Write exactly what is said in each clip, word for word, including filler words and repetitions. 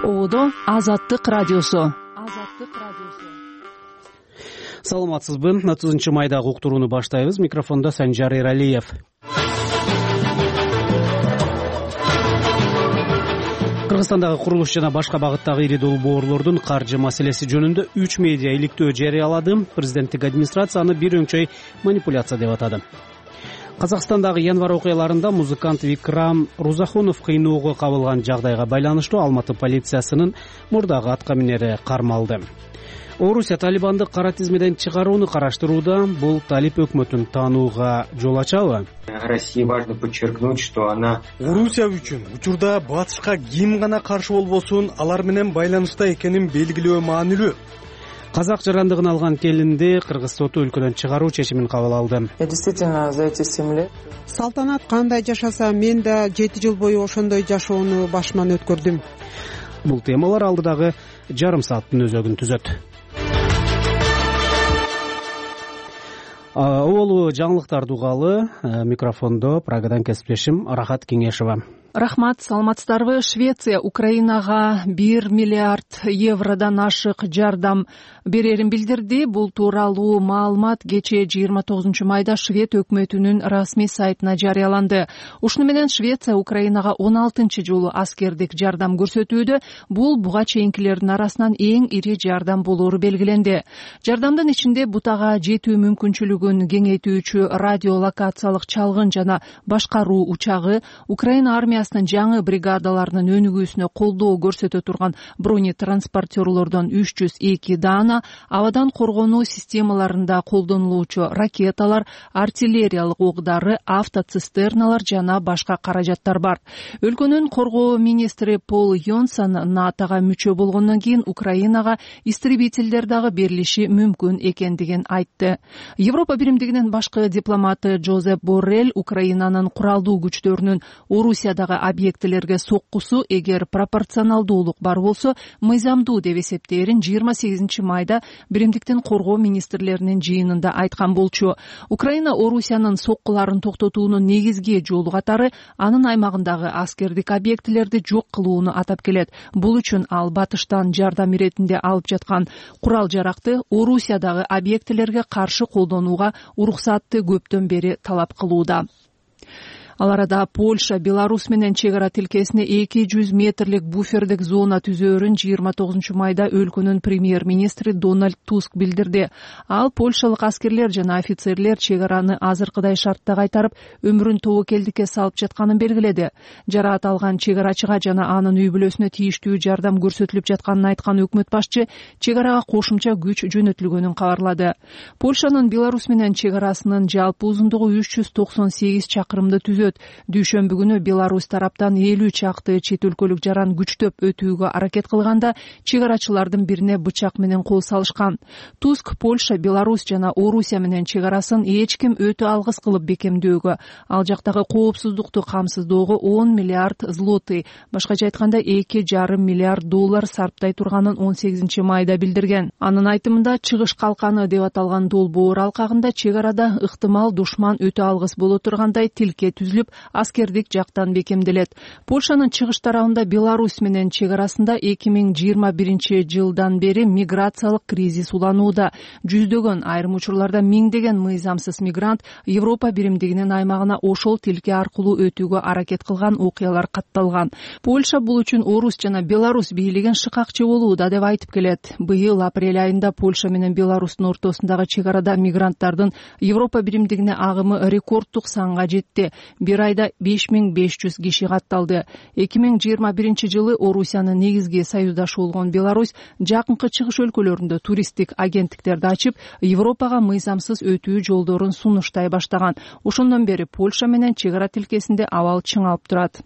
Ободо Азаттык радиосу. Саламатсызбы? отузунчу майдагы уктурууну баштайбыз. Микрофондо Санжар Эралиев. Кыргызстандагы курулуш жана башка багыттагы ири долбоорлордун каржы маселеси жөнүндө үч медиа иликтөө жарыялады. Президенттик администрация аны бир өңчөй манипуляция деп атады. Казакстандагы январь окуяларында музыкант Викрам Рузахунов кыйноого кабылган жагдайга байланыштуу Алматы полициясынын мурдагы атка минери кармалды. Орусия Талибанды кара тизмеден чыгарууну караштырууда. Бул Талиб өкмөтүн таанууга жол ачабы? России важно подчеркнуть, что она Орусия үчүн учурда батышка ким гана каршы болбосун, алар менен байланышта экенин белгилөө маанилүү. Казак жарандыгын алган келинди кыргыз соту өлкөдөн чыгаруу чечимин кабыл алды. Я действительно за эти семь лет Салтанат кандай жашаса, мен да жети жыл бою ошондой жашоону башыман өткөрдүм. Бул темалар алдыдагы жарым сааттын өзөгүн түзөт. Оолу жаңылыктарды угалы. Микрофондо Прагадан кесиптешим Рахат Кеңешова. Рахмат, саламатсыздарбы? Швеция Украинага бир миллиард евродон ашык жардам берерин билдирди. Бул тууралуу маалымат кечээ жыйырма тогузунчу майда Швед өкмөтүнүн расмий сайтына жарыяланды. Ушуну менен Швеция Украинага он алтынчы жолу аскердик жардам көрсөтүүдө. Бул буга чейинкилердин арасынан эң ири жардам болоору белгиленди. Жардамдын ичинде бутага жетүү мүмкүнчүлүгүн кеңейтүүчү радиолокациялык чалгын жана башкаруу учагы, Украина армиясы жаңы бригадаларынын өнүгүүсүнө колдоо көрсөтө турган бронетранспортерлордон үч жүз эки даана, абадан коргонуу системаларында колдонулуучу ракеталар, артиллериялык оокдары, автоцистерналар жана башка каражаттар бар. Өлкөнүн коргоо министри Пол Йонсон натога мүчө болгондон кийин Украинага истребительдер дагы берилиши мүмкүн экендигин айтты. Европа биримдигинин башкы дипломаты Жозеп Боррелл Украинанын куралдуу күчтөрүнүн Орусиядагы объектилерге соккусу эгер пропорционалдуулук бар болсо мыйзамдуу деп эсептээрин жыйырма сегизинчи майда биримдиктин коргоо министрлеринин жыйынында айткан болчу. Украина Орусиянын соккуларын токтотуунун негизги жолу катары анын аймагындагы аскердик объектилерди жок кылууну атап келет. Бул үчүн ал батыштан жардам иретинде алып жаткан курал жаракты Орусиядагы объектилерге каршы колдонууга уруксатты көптөн бери талап кылууда. Ал арада Польша Беларусь менен чек ара тилкесине эки жүз метрлик буфердик зона түзөөрүн жыйырма тогузунчу майда өлкөнүн премьер-министри Дональд Туск билдирди. Ал польшалык аскерлер жана офицерлер чек араны азыркыдай шартта кайтарып, өмүрүн тобокелдикке салып жатканын белгиледи. Жараат алган чек арачыга жана анын үй бүлөсүнө тийиштүү жардам көрсөтүлүп жатканын айткан өкмөт башчы чек арага кошумча күч жөнөтүлгөнүн кабарлады. Польшанын Беларусь менен чек арасынын жалпы узундугу үч жүз токсон сегиз чакырымды түзөт. Дүйшөмбү күнү Беларусь тараптан элүү чакты чет өлкөлүк жаран күчтөп өтүүгө аракет кылганда чек арачылардын бирине бычак менен кол салышкан. Туск Польша, Беларусь жана Орусия менен чек арасын эч ким өтө алгыс кылып бекемдөөгө, ал жактагы коопсуздукту камсыздоого он миллиард злоты, башкача айтканда эки жарым миллиард доллар сарптай турганын он сегизинчи майда билдирген. Анын айтымында чыгыш калканы деп аталган долбоор алкагында чек арада ыктымал душман өтө алгыс боло тургандай тилке түзүлүп, аскердик жактан бекемделет. Польшанын чыгыш тарабында Беларусь менен чек арасында эки миң жыйырма биринчи жылдан бери миграциялык кризис уланууда. Жүздөгөн, айрым учурларда миңдеген мыйзамсыз мигрант Европа биримдигинин аймагына ошол тилке аркылуу өтүүгө аракет кылган окуялар катталган. Польша бул үчүн Орус жана Беларусь бийлигин шыкакчы болууда деп айтып келет. Быйыл апрель айында Польша менен Беларустун ортосундагы чек арада мигранттардын Европа биримдигине агымы рекорддук санга жетти. Бир айда беш миң беш жүз киши катталды. эки миң жыйырма биринчи жылы Орусиянын негизги союздашы болгон Беларусь жакынкы чыгыш өлкөлөрүндө туристтик агенттиктерди ачып, Европага мыйзамсыз өтүү жолдорун сунуштай баштаган. Ошондон бери Польша менен чек ара тилкесинде абал чыңалып турат.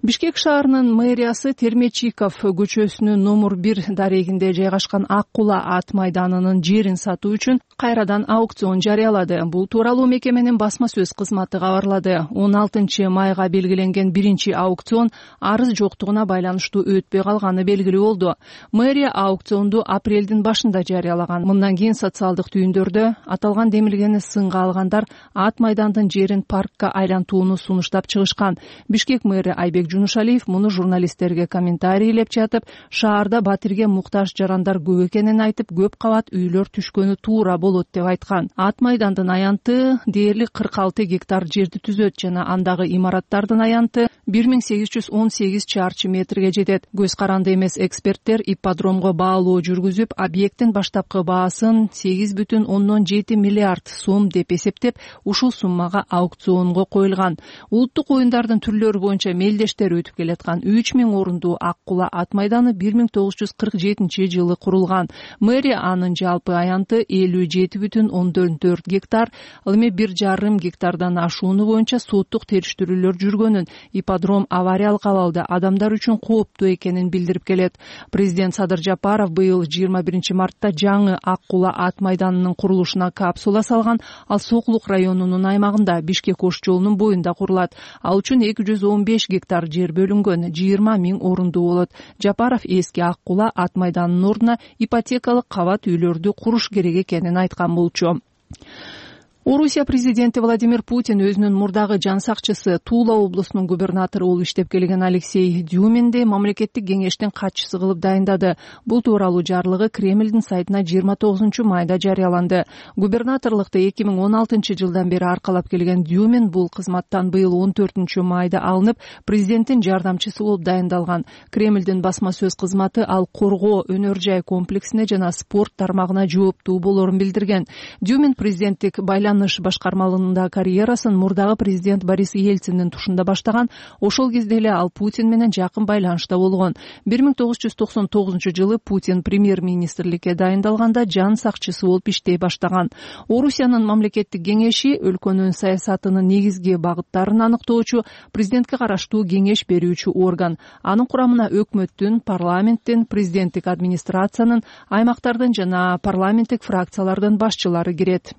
Бишкек шаарынын мэриясы Термечиков көчөсүнүн номер бир дарегинде жайгашкан Ак Кула ат майданынын жерин сатуу үчүн кайрадан аукцион жарыялады. Бул тууралуу мекеменин басма сөз кызматы кабарлады. он алтынчы майга белгиленген биринчи аукцион арыз жоктугуна байланыштуу өтпөй калганы белгилүү болду. Мэрия аукционду апрелдин башында жарыялаган. Мындан кийин социалдык түйүндөрдө аталган демилгени сынга алгандар ат майдандын жерин паркка айлантууну сунуштап чыгышкан. Бишкек мэри Айбек Жунушалиев муну журналисттерге комментарийлеп жатып, шаарда батирге муктаж жарандар көп экенин айтып, көп кабат үйлөр түшкөнү туура болот деп айткан. Ат майдандын аянты дээрлик кырк алты гектар жерди түзөт жана андагы имараттардын аянты бир миң сегиз жүз он сегиз чарчы метрге жетет. Көз каранды эмес эксперттер ипподромго баалоо жүргүзүп, объекттин баштапкы баасын сегиз бүтүн ондон жети миллиард сом деп эсептеп, ушул суммага аукционго коюлган. Улуттук оюндардын түрлөрү боюнча мелдештер өтүп келаткан үч миң орундуу Ак Кула ат майданы бир миң тогуз жүз кырк жетинчи жылы курулган. Мэрия анын жалпы аянты элүү жети бүтүн ондон төрт гектар, ал эми бир жарым гектардан ашууну боюнча соттук териштирүүлөр жүргөнүн, ипподром авариялык абалда адамдар үчүн кооптуу экенин билдирип келет. Президент Садыр Жапаров быйыл жыйырма биринчи мартта жаңы Ак Кула ат майданынын курулушуна капсула салган. Ал Сокулук районунун аймагында Бишкек ош жолунун боюнда курулат. Ал үчүн эки жүз он беш гектар жер бөлүнгөн, жыйырма миң орундуу болот. Жапаров эски Ак Кула ат майданынын ордуна ипотекалык кабат үйлөрдү куруш керек экенин айткан болчу. Орусия президенти Владимир Путин өзүнүн мурдагы жан сакчысы Тула облусунун губернатору болуп иштеп келген Алексей Дюминди мамлекеттик кеңештин катчысы кылып дайындады. Бул тууралуу жарлыгы Кремлдин сайтына жыйырма тогузунчу майда жарыяланды. Губернаторлукты эки миң он алтынчы жылдан бери аркалап келген Дюмин бул кызматтан быйыл он төртүнчү майда алынып, президенттин жардамчысы болуп дайындалган. Кремлдин басма сөз кызматы ал коргоо, өнөр жай комплексине жана спорт тармагына жооптуу болорун билдирген. Дюмин президенттик байланыш башкармалыгында карьерасын мурдагы президент Борис Ельциндин тушунда баштаган. Ошол кезде эле ал Путин менен жакын байланышта болгон. бир миң тогуз жүз токсон тогузунчу жылы Путин премьер-министрликке дайындалганда жан сакчысы болуп иштей баштаган. Орусиянын мамлекеттик кеңеши өлкөнүн саясатынын негизги багыттарын аныктоочу, президентке караштуу кеңеш берүүчү орган. Анын курамына өкмөттүн, парламенттин, президенттик администрациянын, аймактардын жана парламенттик фракциялардын башчылары кирет.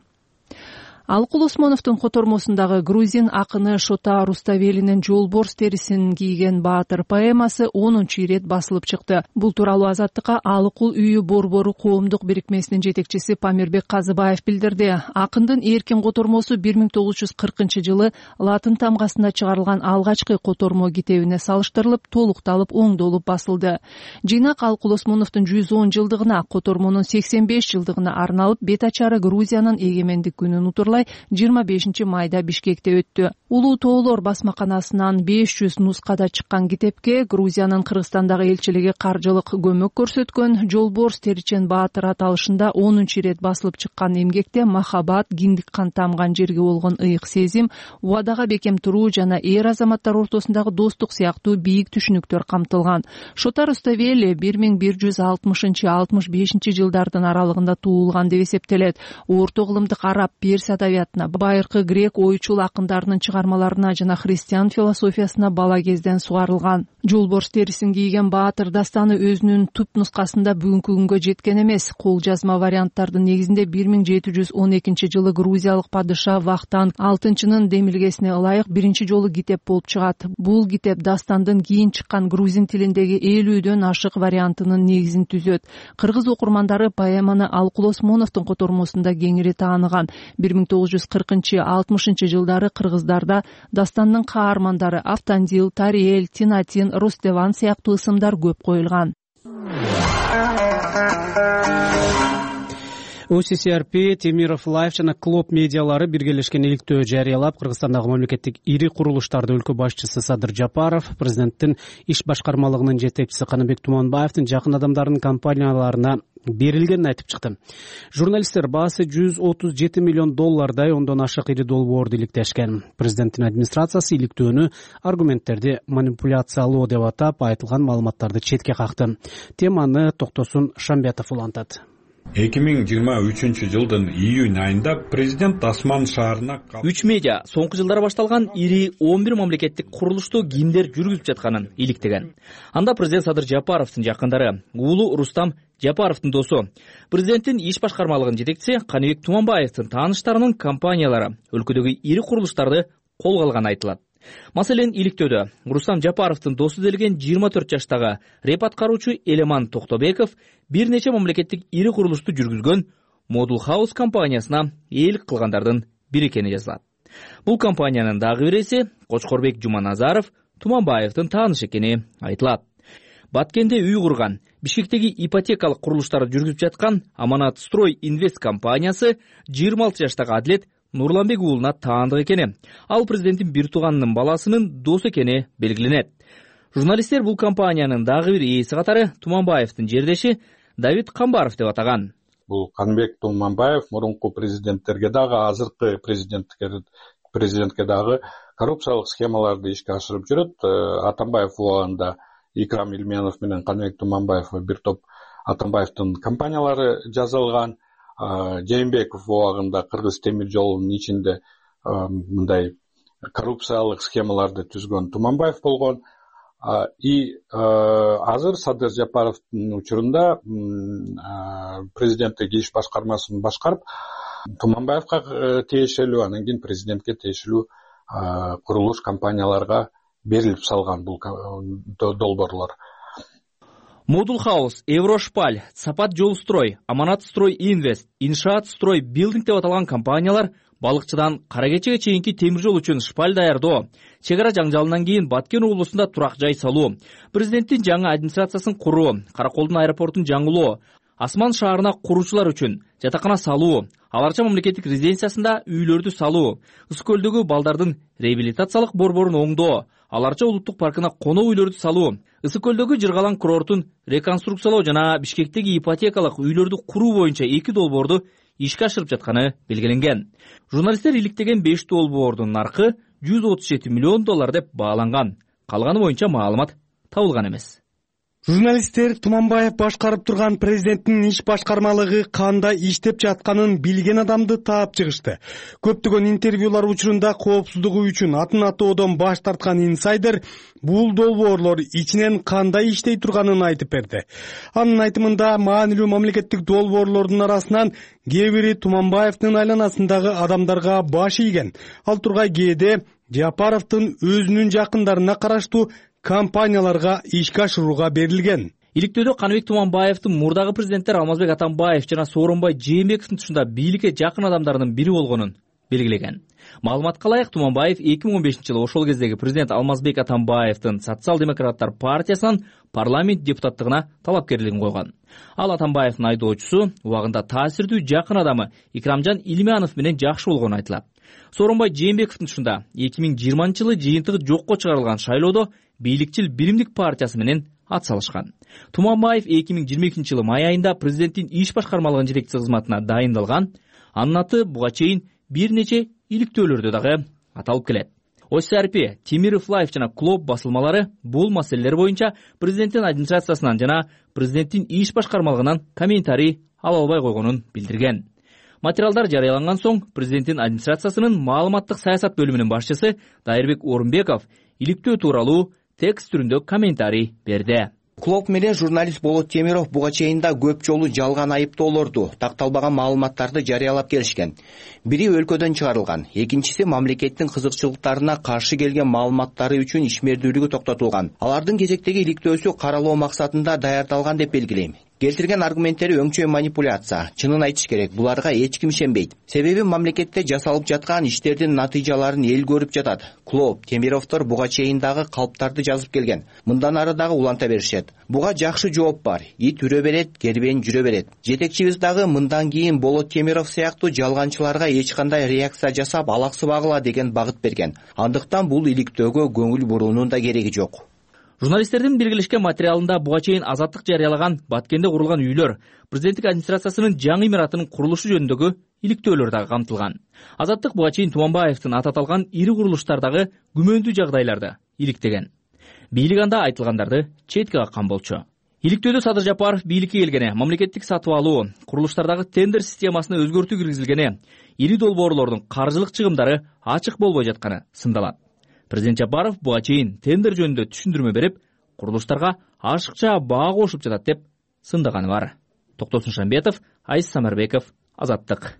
Алыкул Осмоновдун котормосундагы грузин акыны Шота Руставелинин Жолборс терисин кийген баатыр поэмасы онунчу ирет басылып чыкты. Бул тууралуу Азаттыкка Алыкул үйү борбору коомдук бирикмесинин жетекчиси Памирбек Казыбаев билдирди. Акындын эркин котормосу бир миң тогуз жүз кыркынчы жылы латын тамгасында чыгарылган алгачкы котормо китебине салыштырылып, толукталып, оңдолуп басылды. Жыйнак Алыкул Осмоновдун жүз он жылдыгына, котормонун сексен беш жылдыгына арналып, бет ачары Грузиянын эгемендик күнүн утурлай жыйырма бешинчи майда Бишкекте өттү. Улуу тоолор басмаканасынан беш жүз нускада чыккан китепке Грузиянын Кыргызстандагы элчилиги каржылык көмөк көрсөткөн. Жолборс теричен баатыр аталышында онунчу ирет басылып чыккан эмгекте махабат, киндик кан тамган жерге болгон ыйык сезим, убадага бекем туруу жана эр азаматтар ортосундагы достук сыяктуу бийик түшүнүктөр камтылган. Шота Руставели бир миң бир жүз алтымышынчы алтымыш бешинчи жылдардын аралыгында туулган деп эсептелет. Орто кылымдык араб, перс адабиятына, байыркы грек ойчул акындарынын чыгармаларына жана христиан философиясына бала кезден сугарылган. Жолборс терисин кийген баатыр дастаны өзүнүн түп нускасында бүгүнкү күнгө жеткен эмес. Кол жазма варианттардын негизинде бир миң жети жүз он экинчи жылы грузиялык падыша Вахтан алтынчынын демилгесине ылайык биринчи жолу китеп болуп чыгат. Бул китеп дастандын кийин чыккан грузин тилиндеги элүүдөн ашык вариантынын негизин түзөт. Кыргыз окурмандары поэманы Алыкул Осмоновдун котормосунда кеңири тааныган. бир миң тогуз жүз кыркынчы алтымышынчы жылдары кыргыздарда дастандын каармандары Автандил, Тариэль, Тинатин, Рустеван сыяктуу ысымдар көп коюлган. о си си ар пи, Темиров Лайф жана Клоп медиалары биргелешкен иликтөө жарыялап, Кыргызстандагы мамлекеттик ири курулуштарды өлкө башчысы Садыр Жапаров, президенттин иш башкармалыгынын жетекчиси Каныбек Туманбаевдин жакын адамдарынын компанияларына берилгенин айтып чыкты. Журналисттер баасы жүз отуз жети миллион доллардай ондон ашык ири долбоорду иликтешкен. Президенттин администрациясы иликтөөнү аргументтерди манипуляциялоо деп атап, айтылган маалыматтарды четке какты. Теманы Токтосун Шамбетов улантат. эки миң жыйырма үчүнчү жылдын июнь айында президент Тасман шаарына үч медиа соңку жылдары башталган ири он бир мамлекеттик курулушту кимдер жүргүзүп жатканын иликтеген. Анда президент Садыр Жапаровдун жакындары, уулу Рустам Жапаровдун досу, президенттин иш башкармалыгынын жетекчиси Каныбек Туманбаевдин тааныштарынын компаниялары өлкөдөгү ири курулуштарды колго алганы айтылат. Маселен, иликтөөдө Рустам Жапаровдун досу делген жыйырма төрт жаштагы реп аткаруучу Элеман Токтобеков бир нече мамлекеттик ири курулушту жүргүзгөн Model House компаниясына ээлик кылгандардын бири экени жазылат. Бул компаниянын дагы биреси Кочкорбек Жуманазаров Туманбаевдин таанышы экени айтылат. Баткенде үй курган, Бишкектеги ипотекалык курулуштарды жүргүзүп жаткан Аманат Строй Инвест компаниясы жыйырма алты жаштагы Адилет Нурланбек уулуна таандык экени, ал президенттин бир тууганынын баласынын досу экени белгиленет. Журналисттер бул компаниянын дагы бир ээси катары Туманбаевдин жердеши Давид Камбаров деп атаган. Бул Канбек Туманбаев мурунку президенттерге дагы, азыркы президентке президентке дагы коррупциялык схемаларды ишке ашырып жүрөт. Атамбаев убагында Икрам Илменов менен Канбек Туманбаев бир топ Атамбаевдин компаниялары жазылган. Жээнбеков убагында Кыргыз темир жолунун ичинде мындай коррупциялык схемаларды түзгөн Туманбаев болгон. И азыр Садыр Жапаровдун учурунда президенттик иш башкармасын башкарып, Туманбаевга тиешелүү, анан кийин президентке тиешелүү курулуш компанияларга берилип салган бул долбоорлор. Модул Хаус, Еврошпаль, Сапат Жолстрой, Аманат Строй Инвест, Иншаат Строй Билдинг деп аталган компаниялар балыкчыдан Кара Кечеге чейинки темир жол үчүн шпаль даярдоо, чек ара жаңжалынан кийин Баткен облусунда турак жай салуу, президенттин жаңы администрациясын куруу, Караколдун аэропортун жаңылоо, Асман шаарына куруучулар үчүн жатакана салуу, Аларча мамлекеттик резиденциясында үйлөрдү салуу, Ысык көлдөгү балдардын реабилитациялык борборун оңдоо, Аларча улуттук паркына коноо үйлөрдү салуу, Ысык көлдөгү Жыргалаң курортун реконструкциялоо жана Бишкектеги ипотекалык үйлөрдү куруу боюнча эки долбоорду ишке ашырып жатканы белгиленген. Журналисттер иликтеген беш долбоордун наркы жүз отуз жети миллион доллар деп бааланган. Калганы боюнча маалымат табылган эмес. Журналисттер Туманбаев башкарып турган президенттин иш башкармалыгы кандай иштеп жатканын билген адамды таап чыгышты. Көптөгөн интервьюлар учурунда коопсуздугу үчүн атын атоодон баш тарткан инсайдер бул долбоорлор ичинен кандай иштей турганын айтып берди. Анын айтымында маанилүү мамлекеттик долбоорлордун арасынан кээ бири Туманбаевдин айланасындагы адамдарга баш ийген. Ал тургай кээде Жапаровдун өзүнүн жакындарына караштуу компанияларга ишке ашырууга берилген. Иликтөөдө Каныбек Туманбаевдин мурдагы президенттер Алмазбек Атамбаев жана Сооронбай Жээнбековдун тушунда бийликке жакын адамдарынын бири болгонун белгилеген. Маалыматка ылайык, Туманбаев эки миң он бешинчи жылы ошол кездеги президент Алмазбек Атамбаевдин Социал-демократтар партиясынан парламент депутаттыгына талапкерлигин койгон. Ал Атамбаевдин айдоочусу, убагында таасирдүү жакын адамы Икрамжан Илмянов менен жакшы болгону айтылат. Сооронбай Жээнбековдун тушунда эки миң жыйырманчы жылы жыйынтыгы жокко чыгарылган шайлоодо бийликчил Биримдик партиясы менен ат салышкан. Туманбаев эки миң жыйырма экинчи жылы май айында президенттин иш башкармалыгынын жетекчиси кызматына дайындалган. Анын аты буга чейин бир нече иликтөөлөрдө дагы аталып келет. Осарпи, Тимиров Лайф жана Клоп басылмалары бул маселелер боюнча президенттин администрациясынан жана президенттин иш башкармалыгынан комментарий ала албай койгонун билдирген. Материалдар жарыяланган соң президенттин администрациясынын маалыматтык саясат бөлүмүнүн башчысы Дайырбек Орунбеков иликтөө тууралуу текст түрүндө комментарий берди. Клоп менен журналист Болот Темиров буга чейин да көп жолу жалган айыптоолорду, такталбаган маалыматтарды жарыялап келишкен. Бири өлкөдөн чыгарылган, экинчиси мамлекеттин кызыкчылыктарына каршы келген маалыматтары үчүн ишмердүүлүгү токтотулган. Алардын кезектеги иликтөөсү каралоо максатында даярдалган деп белгилейм. Келтирген аргументтери өңчөй манипуляция. Чынын айтыш керек, буларга эч ким ишенбейт. Себеби мамлекетте жасалып жаткан иштердин натыйжаларын эл көрүп жатат. Клоп, Темировдор буга чейин дагы калптарды жазып келген. Мындан ары дагы уланта беришет. Буга жакшы жооп бар. Ит үрө берет, кербен жүрө берет. Жетекчибиз дагы мындан кийин Болот Темиров сыяктуу жалганчыларга эч кандай реакция жасап алаксыбагыла деген багыт берген. Андыктан бул иликтөөгө көңүл буруунун да кереги жок. Журналисттердин биргелешкен материалында буга чейин Азаттык жарыялаган Баткенде курулган үйлөр, президенттик администрациясынын жаңы имаратынын курулушу жөнүндөгү иликтөөлөр дагы камтылган. Азаттык буга чейин Туманбаевдин аты аталган ири курулуштардагы күмөндүү жагдайларды иликтеген. Бийлик анда айтылгандарды четке каккан болчу. Иликтөөдө Садыр Жапаров бийликке келгене, мамлекеттик сатып алуу, курулуштардагы тендер системасына өзгөртүү киргизилгене, ири долбоорлордун каржылык чыгымдары ачык болбой жатканы сындалат. Президент Жапаров буга чейин тендер жөнүндө түшүндүрмө берип, курулуштарга ашыкча баа кошуп жатат деп сындаганы бар. Токтосун Шамбетов, Айс Самарбеков, Азаттык.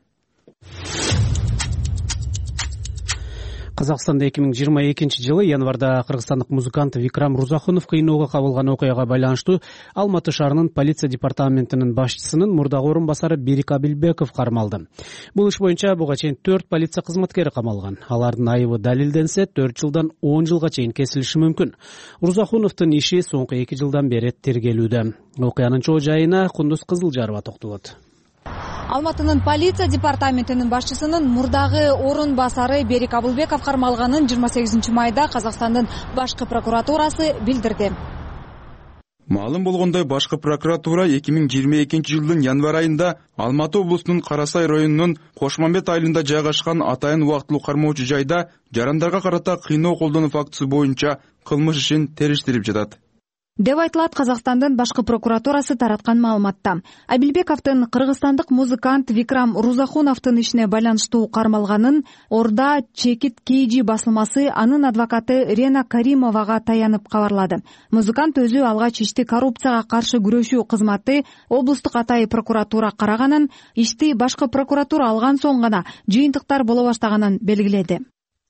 Казакстанда эки миң жыйырма экинчи жылы январда кыргызстандык музыкант Викрам Рузахунов кыйноого кабылган окуяга байланыштуу Алматы шаарынын полиция департаментинин башчысынын мурдагы орун басары Берик Абилбеков кармалды. Бул иш боюнча буга чейин төрт полиция кызматкери камалган. Алардын айыбы далилденсе, төрт жылдан он жылга чейин кесилиши мүмкүн. Рузахуновдун иши соңку эки жылдан бери тергелүүдө. Окуянын чоо жайына Кундуз Кызылжарова токтолот. Алматынын полиция департаментинин башчысынын мурдагы орун басары Берик Абылбеков кармалганын жыйырма сегизинчи майда Казакстандын башкы прокуратурасы билдирди. Маалым болгондой, башкы прокуратура эки миң жыйырма экинчи жылдын январь айында Алматы облусунун Кара Сай районунун Кошмамбет айылында жайгашкан атайын убактылуу кармоочу жайда жарандарга карата кыйноо колдонуу фактысы боюнча кылмыш ишин териштирип жатат деп айтылат Казакстандын башкы прокуратурасы тараткан маалыматта. Абилбековдун кыргызстандык музыкант Викрам Рузахуновдун ишине байланыштуу кармалганын Орда Чекит Кейджи басылмасы анын адвокаты Рена Каримовага таянып кабарлады. Музыкант өзү алгач ишти коррупцияга каршы күрөшүү кызматы облустук атайын прокуратура караганын, ишти башкы прокуратура алган соң гана жыйынтыктар боло баштаганын белгиледи.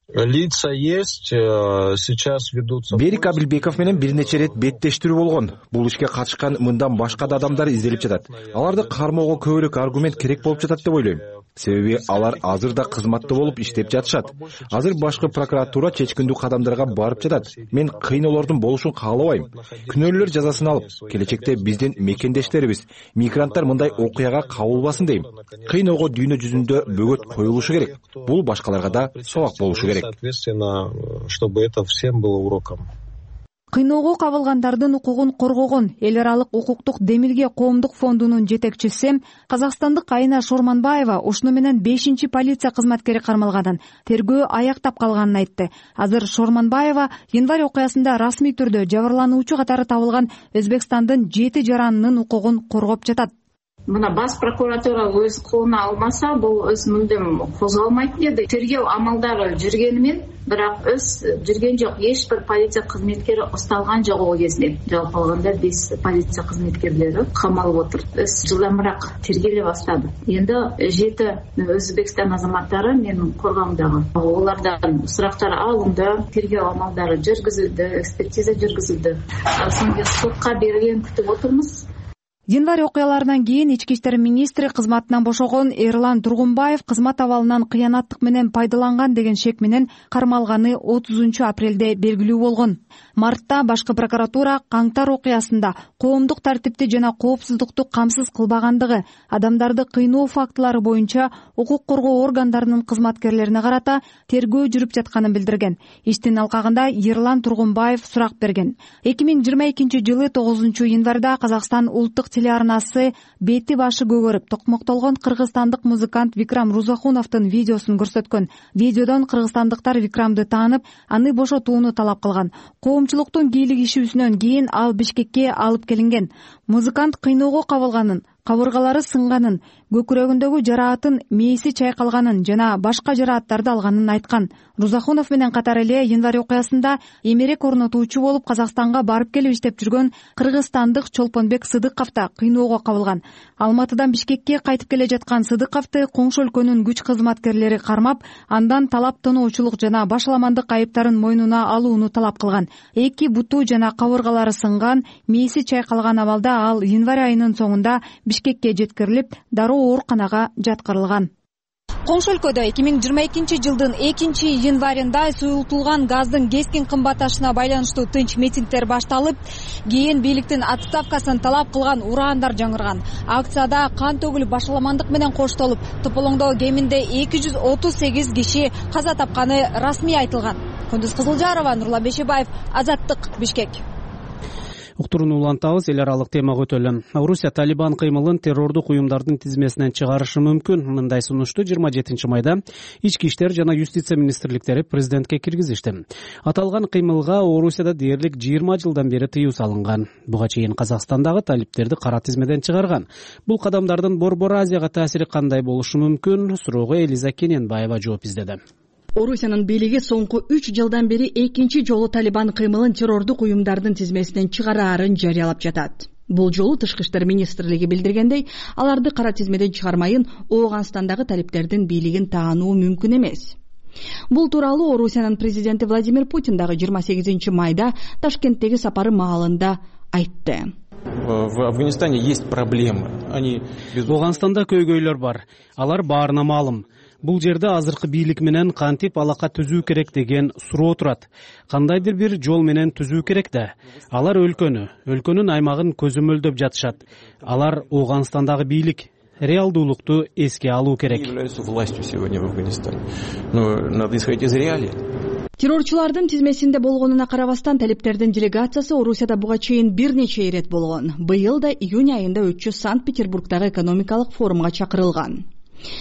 Лица есть, сейчас ведутся. Берик Абилбеков менен бир нече ирет беттештирүү болгон. Бул ишке катышкан мындан башка да адамдар изделип жатат. Аларды кармоого көбүрөөк аргумент керек болуп жатат деп ойлойм. Себеби алар азыр да кызматта болуп иштеп жатышат. Азыр башкы прокуратура чечкиндүү кадамдарга барып жатат. Мен кыйноолордун болушун каалабайм. Күнөөлүүлөр жазасын алып, келечекте биздин мекендештерибиз, мигранттар мындай окуяга кабылбасын дейм. Кыйноого дүйнө жүзүндө бөгөт коюлушу керек. Бул башкаларга да сабак болушу керек. Соответственно, чтобы это всем было уроком. Кыйноого кабылгандардын укугун коргогон эл аралык укуктук демилге коомдук фондунун жетекчиси казакстандык Айна Шорманбаева ушуну менен бешинчи полиция кызматкери кармалганын, тергөө аяктап калганын айтты. Азыр Шорманбаева январь окуясында расмий түрдө жабырлануучу катары табылган Өзбекстандын жети жаранынын укугун коргоп жатат. Мына бас прокуратура өз колуна алмаса, бул өз мүлдем козголмойт деди. Тергөө амалдары жүргөнүмен, бирок өз жүргөн жок. Эч бир полиция кызметкери усталган жок ол кезде. Жалпы алганда биз полиция кызметкерлери камалып отур. Өз жылдамыраак тергеле баштады. Эndi жети Өзбекстан азаматтары менин коргоомдогу. Олардан сурактар алынды, тергөө амалдары жүргүзүлдү, экспертиза жүргүзүлдү. Соңку сотко берилген күтүп отурмуз. Январь окуяларынан кийин ички иштер министри кызматынан бошогон Эрлан Тургунбаев кызмат абалынан кыянаттык менен пайдаланган деген шек менен кармалганы отузунчу апрелде белгилүү болгон. Мартта башкы прокуратура Каңтар окуясында коомдук тартипти жана коопсуздукту камсыз кылбагандыгы, адамдарды кыйноо фактылары боюнча укук коргоо органдарынын кызматкерлерине карата тергөө жүрүп жатканын билдирген. Иштин алкагында Эрлан Тургунбаев сурак берген. эки миң жыйырма экинчи жылы тогузунчу январда Казакстан улуттук телеарнасы бети башы көгөрүп токмоктолгон кыргызстандык музыкант Викрам Рузахуновдун видеосун көрсөткөн. Видеодон кыргызстандыктар Викрамды таанып, аны бошотууну талап кылган. Коомчулуктун кийлигишүүсүнөн кийин ал Бишкекке алып келинген. Музыкант кыйноого кабылганын, кабыргалары сынганын, көкүрөгүндөгү жараатын мээси чайкалганын жана башка жарааттарды алганын айткан. Рузахунов менен катар эле январь окуясында эмерек орнотуучу болуп Казакстанга барып келип иштеп жүргөн кыргызстандык Чолпонбек Сыдыков да кыйноого кабылган. Алматыдан Бишкекке кайтып келе жаткан Сыдыковду коңшу өлкөнүн күч кызматкерлери кармап, андан талап тоноочулук жана башаламандык айыптарын мойнуна алууну талап кылган. Эки буту жана кабыргалары сынган, мээси чайкалган абалда ал январь айынын соңунда Бишкекке жеткирилип, дароо ооруканага жаткырылган. Коңшу өлкөдө эки миң жыйырма экинчи жылдын экинчи январында суюлтулган газдын кескин кымбатташына байланыштуу тынч митингдер башталып, кийин бийликтин отставкасын талап кылган ураандар жаңырган. Акцияда кан төгүлүп, башаламандык менен коштолуп, тополоңдо кеминде эки жүз отуз сегиз киши каза тапканы расмий айтылган. Кундуз Кызылжарова, Нурлан Бешебаев, Азаттык, Бишкек. Уктурууну улантабыз. Эл аралык темага өтөлү. Орусия Талибан кыймылын террордук уюмдардын тизмесинен чыгарышы мүмкүн. Мындай сунушту жыйырма жетинчи майда ички иштер жана юстиция министрликтери президентке киргизишти. Аталган кыймылга Орусияда дээрлик жыйырма жылдан бери тыюу салынган. Буга чейин Казакстандагы талиптерди кара тизмеден чыгарган. Бул кадамдардын Борбор Азияга таасири кандай болушу мүмкүн? Суроого Элиза Кененбаева жооп издеди. Орусиянын бийлиги соңку үч жылдан бери экинчи жолу Талибан кыймылын террордук уюмдардын тизмесинен чыгараарын жарыялап жатат. Бул жолу Тышкы иштер министрлиги билдиргендей, аларды кара тизмеден чыгармайын Ооганстандагы талиптердин бийлигин таануу мүмкүн эмес. Бул тууралуу Орусиянын президенти Владимир Путин дагы жыйырма сегизинчи майда Ташкенттеги сапары маалында айтты. В Афганистане есть проблемы. Они Ооганстанда көйгөйлөр бар. Алар баарына маалым. Бул жерде азыркы бийлик менен кантип алака түзүү керек деген суроо турат. Кандайдыр бир жол менен түзүү керек да. Алар өлкөнү, өлкөнүн аймагын көзөмөлдөп жатышат. Алар Ооганстандагы бийлик. Реалдуулукту эске алуу керек. Террорчулардын тизмесинде болгонуна карабастан талиптердин делегациясы Орусияда буга чейин бир нече ирет болгон. Быйыл да июнь айында өтчү Санкт-Петербургдагы экономикалык форумга чакырылган.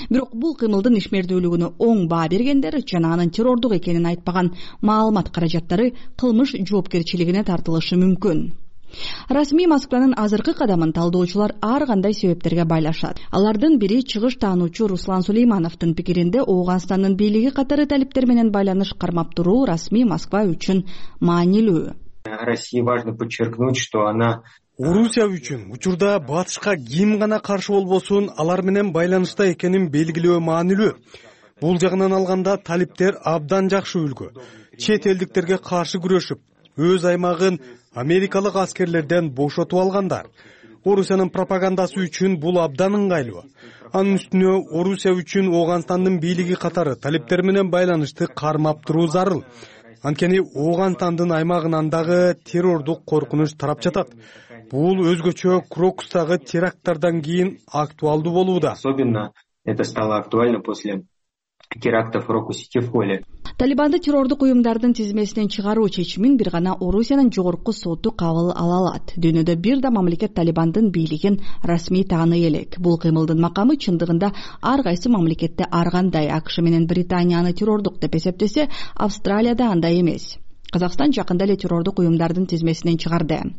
Бирок бул кыймылдын ишмердүүлүгүнө оң баа бергендер жана анын террордук экенин айтпаган маалымат каражаттары кылмыш жоопкерчилигине тартылышы мүмкүн. Расмий Москванын азыркы кадамын талдоочулар ар кандай себептерге байлашат. Алардын бири чыгыш таануучу Руслан Сулеймановдун пикиринде Ооганстандын бийлиги катары талиптер менен байланыш кармап туруу расмий Москва үчүн маанилүү. России важно подчеркнуть, что она Орусия үчүн учурда батышка ким гана каршы болбосун алар менен байланышта экенин белгилөө маанилүү. Бул жагынан алганда талиптер абдан жакшы үлгү. Чет элдиктерге каршы күрөшүп, өз аймагын америкалык аскерлерден бошотуп алгандар. Орусиянын пропагандасы үчүн бул абдан ыңгайлуу. Анын үстүнө Орусия үчүн Ооганстандын бийлиги катары талиптер менен байланышты кармап туруу зарыл. Анткени Ооганстандын аймагынан дагы террордук коркунуч тарап жатат. Бул өзгөчө Крокустагы теракттардан кийин актуалдуу болууда. Особенно это стало актуально после терактов в Рокус-Сити-Фоле. Талибанды террордук уюмдардын тизмесинен чыгаруу чечимин бир гана Орусиянын жогорку соту кабыл ала алат. Дүйнөдө бир да мамлекет Талибандын бийлигин расмий тааный элек. Бул кыймылдын макамы чындыгында ар кайсы мамлекетте ар кандай. АКШ менен Британияны террордук деп эсептесе, Австралияда андай эмес. Казакстан жакында эле террордук уюмдардын тизмесинен чыгарды.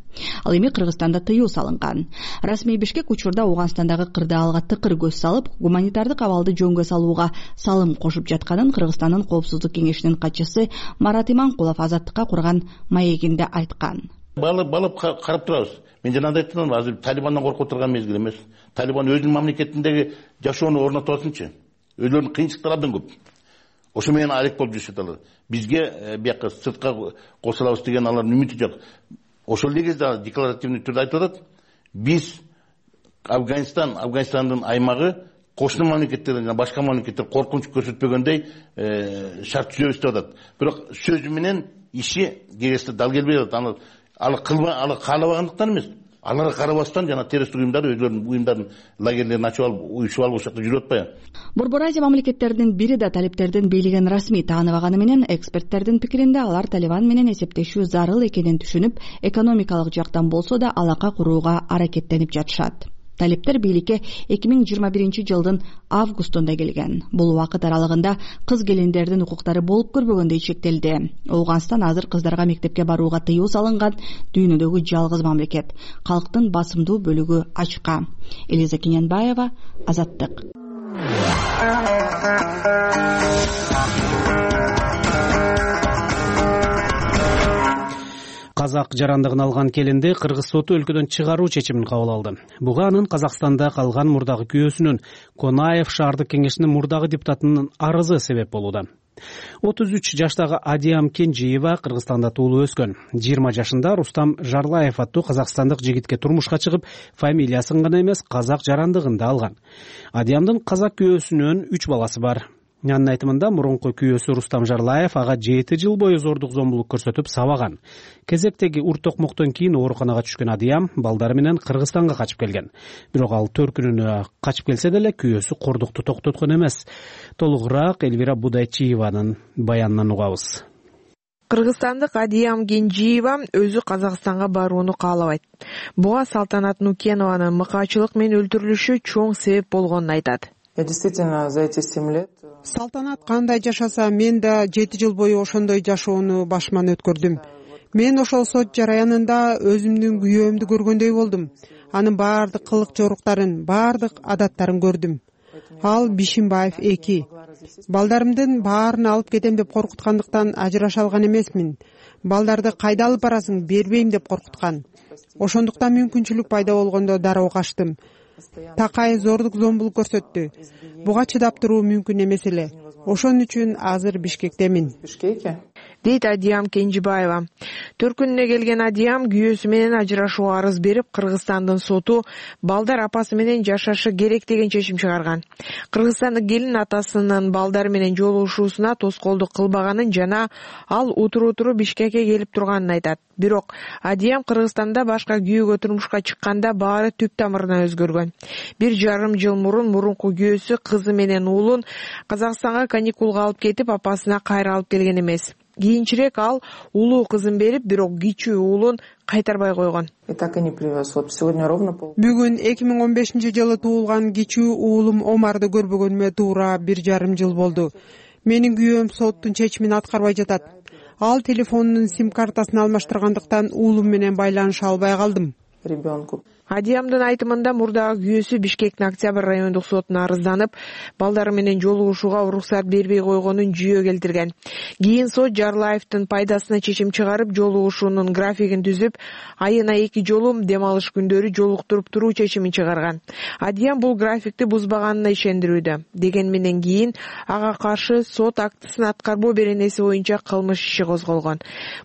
Ал эми Кыргызстанда тыюу салынган. Расмий Бишкек учурда Ооганстандагы кырдаалга тыкыр көз салып, гуманитардык абалды жөнгө салууга салым кошуп жатканын Кыргызстандын Коопсуздук кеңешинин катчысы Марат Иманкулов Азаттыкка курган маегинде айткан. Балып балып карап турабыз. Мен жанагы айттым, азыр Талибандан коркуп турган мезгил эмес. Талибан өзүнүн мамлекетиндеги жашоону орнотосунчу. Өзүлөрүнүн кыйынчылыктары абдан көп. Ошо менен алек болуп жүрүшөт алар. Бизге бияка сыртка кошулабыз деген алардын үмүтү жок. Ошол эле кезде декларативный түрдө айтып атат. Биз Афганистан, Афганистандын аймагы кошуна мамлекеттерден жана башка мамлекеттер коркунуч көрсөтпөгөндөй шарт түзөбүз деп атат. Бирок сөзү менен иши кегесте дал келбей атат. Аны алы кылбай, алы каалабагандыктан эмес. Аларга карабастан жана террорист уюмдар өздөрүнүн уюмдарын лагерлерин ачып алып, уюшуп алып ошол жакта жүрүп атпайбы? Борбор Азия мамлекеттеринин бири да талиптердин бийлигин расмий тааныбаганы менен эксперттердин пикиринде алар Талибан менен эсептешүү зарыл экенин түшүнүп, экономикалык жактан болсо да алака курууга аракеттенип жатышат. Талиптер бийликке эки миң жыйырма биринчи жылдын августунда келген. Бул убакыт аралыгында кыз келиндердин укуктары болуп көрбөгөндөй чектелди. Ооганстан азыр кыздарга мектепке барууга тыюу салынган дүйнөдөгү жалгыз мамлекет. Калктын басымдуу бөлүгү ачка. Элиза Кененбаева, Азаттык. Казак жарандыгын алган келинди Кыргыз соту өлкөдөн чыгаруу чечимин кабыл алды. Буга анын Казакстанда калган мурдагы күйөөсүнүн, Конаев шаардык кеңешинин мурдагы депутатынын арызы себеп болууда. отуз үч жаштагы Адиям Кенжиева Кыргызстанда туулуп өскөн. жыйырма жашында Рустам Жарлаев аттуу казакстандык жигитке турмушка чыгып, фамилиясын гана эмес, казак жарандыгын да алган. Адиямдын казак күйөөсүнөн үч баласы бар. Анын айтымында мурунку күйөөсү Рустам Жарлаев ага жети жыл бою зордук зомбулук көрсөтүп сабаган. Кезектеги ур токмоктон кийин ооруканага түшкөн Адиям балдары менен Кыргызстанга качып келген. Бирок ал төркүнүнө качып келсе деле күйөөсү кордукту токтоткон эмес. Толугураак Эльвира Будайчиеванын баянынан угабыз. Кыргызстандык Адиям Кенжиева өзү Казакстанга барууну каалабайт. Буга Салтанат Нукенованын мыкаачылык менен өлтүрүлүшү чоң себеп болгонун айтат. Я действительно за эти семь лет Салтанат кандай жашаса, мен да жети жыл бою ошондой жашоону башыман өткөрдүм. Мен ошол сот жараянында өзүмдүн күйөөмдү көргөндөй болдум. Анын баардык кылык жоруктарын, баардык адаттарын көрдүм. Ал Бишимбаев эки. Балдарымдын баарын алып кетем деп коркуткандыктан ажыраша алган эмесмин. Балдарды кайда алып барасың, бербейм деп коркуткан. Ошондуктан мүмкүнчүлүк пайда болгондо дароо качтым. такай зордук зомбулук көрсөттү. Буга чыдап туруу мүмкүн эмес эле. Ошон үчүн азыр Бишкектемин, дейт Адиям Кенжибаева. Төркүнүнө келген Адиям күйөөсү менен ажырашууга арыз берип, Кыргызстандын соту балдар апасы менен жашашы керек деген чечим чыгарган. Кыргызстандык келин атасынын балдар менен жолугушуусуна тоскоолдук кылбаганын жана ал утуру утуру Бишкекке келип турганын айтат. Бирок Адиям Кыргызстанда башка күйөөгө турмушка чыкканда баары түп тамырына өзгөргөн. Бир жарым жыл мурун мурунку күйөөсү кызы менен уулун Казакстанга каникулга алып кетип, апасына кайра алып келген эмес. Кийинчерээк ал улуу кызын берип, бирок кичүү уулун кайтарбай койгон. Бүгүн эки миң он бешинчи жылы туулган кичүү уулум Омарды көрбөгөнүмө туура бир жарым жыл болду. Менин күйөөм соттун чечимин аткарбай жатат. Ал телефонунун сим картасын алмаштыргандыктан уулум менен байланыша албай калдым. Адиямдын айтымында мурдагы күйөөсү Бишкектин Октябрь райондук сотуна арызданып, балдары менен жолугушууга уруксат бербей койгонун жүйө келтирген. Кийин сот Жарлаевдин пайдасына чечим чыгарып, жолугушуунун графигин түзүп, айына эки жолу дем алыш күндөрү жолуктуруп туруу чечимин чыгарган. Адиям бул графикти бузбаганына ишендирүүдө. Деген менен кийин ага каршы сот актысын аткарбоо беренеси боюнча кылмыш иши козголгон.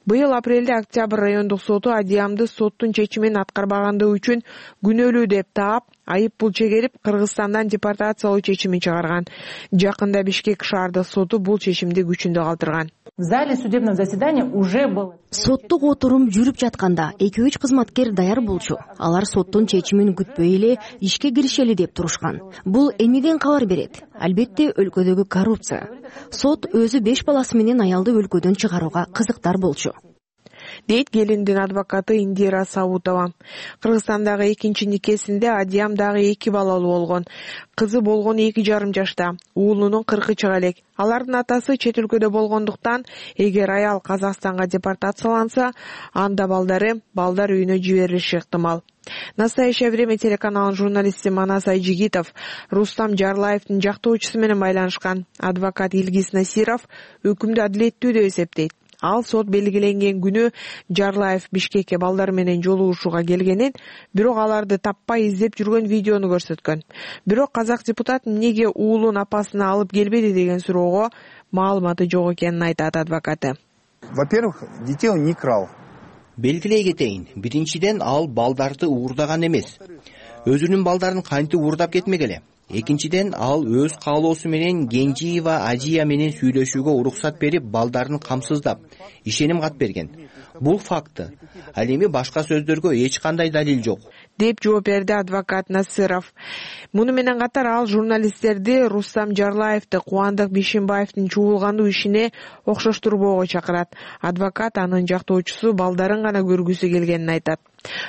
Быйыл апрелде Октябрь райондук соту Адиямды соттун чечимин аткарбагандыгы үчүн күнөөлүү деп таап, айып пул чегерип, Кыргызстандан депортациялоо чечимин чыгарган. Жакында Бишкек шаардык соту бул чечимди күчүндө калтырган. В зале судебного заседания уже был. Соттук отурум жүрүп жатканда эки үч кызматкер даяр болчу. Алар соттун чечимин күтпөй эле ишке киришели деп турушкан. Бул эмнеден кабар берет? Албетте өлкөдөгү коррупция. Сот өзү беш баласы менен аялды өлкөдөн чыгарууга кызыктар болчу, дейт келиндин адвокаты Индира Сабутова. Кыргызстандагы экинчи никесинде Адиям дагы эки балалуу болгон. Кызы болгон эки жарым жашта, уулунун кыркы чыга элек. Алардын атасы чет өлкөдө болгондуктан, эгер аял Казакстанга депортацияланса, анда балдары балдар үйүнө жиберилиши ыктымал. Настоящее время телеканалынын журналисти Манас Айжигитов Рустам Жарлаевдин жактоочусу менен байланышкан. Адвокат Илгиз Насиров өкүмдү адилеттүү деп эсептейт. Ал сот белгиленген күнү Жарлаев Бишкекке балдар менен жолугушууга келгенин, бирок аларды таппай издеп жүргөн видеону көрсөткөн. Бирок казак депутат эмнеге уулун апасына алып келбеди деген суроого маалыматы жок экенин айтат адвокаты. Во-первых, детей он не крал. Белгилей кетейин, биринчиден ал балдарды уурдаган эмес. Өзүнүн балдарын кантип уурдап кетмегеле? Экинчиден ал өз каалоосу менен Кенжиева Ажия менен сүйлөшүүгө уруксат берип, балдарын камсыздап, ишеним кат берген. Бул факты. Ал эми башка сөздөргө эч кандай далил жок, деп жооп берди адвокат Насыров. Муну менен катар ал журналисттерди Рустам Жарлаевди Кубандык Бишимбаевдин чуулгандуу ишине окшоштурбоого чакырат. Адвокат анын жактоочусу балдарын гана көргүсү келгенин айтат.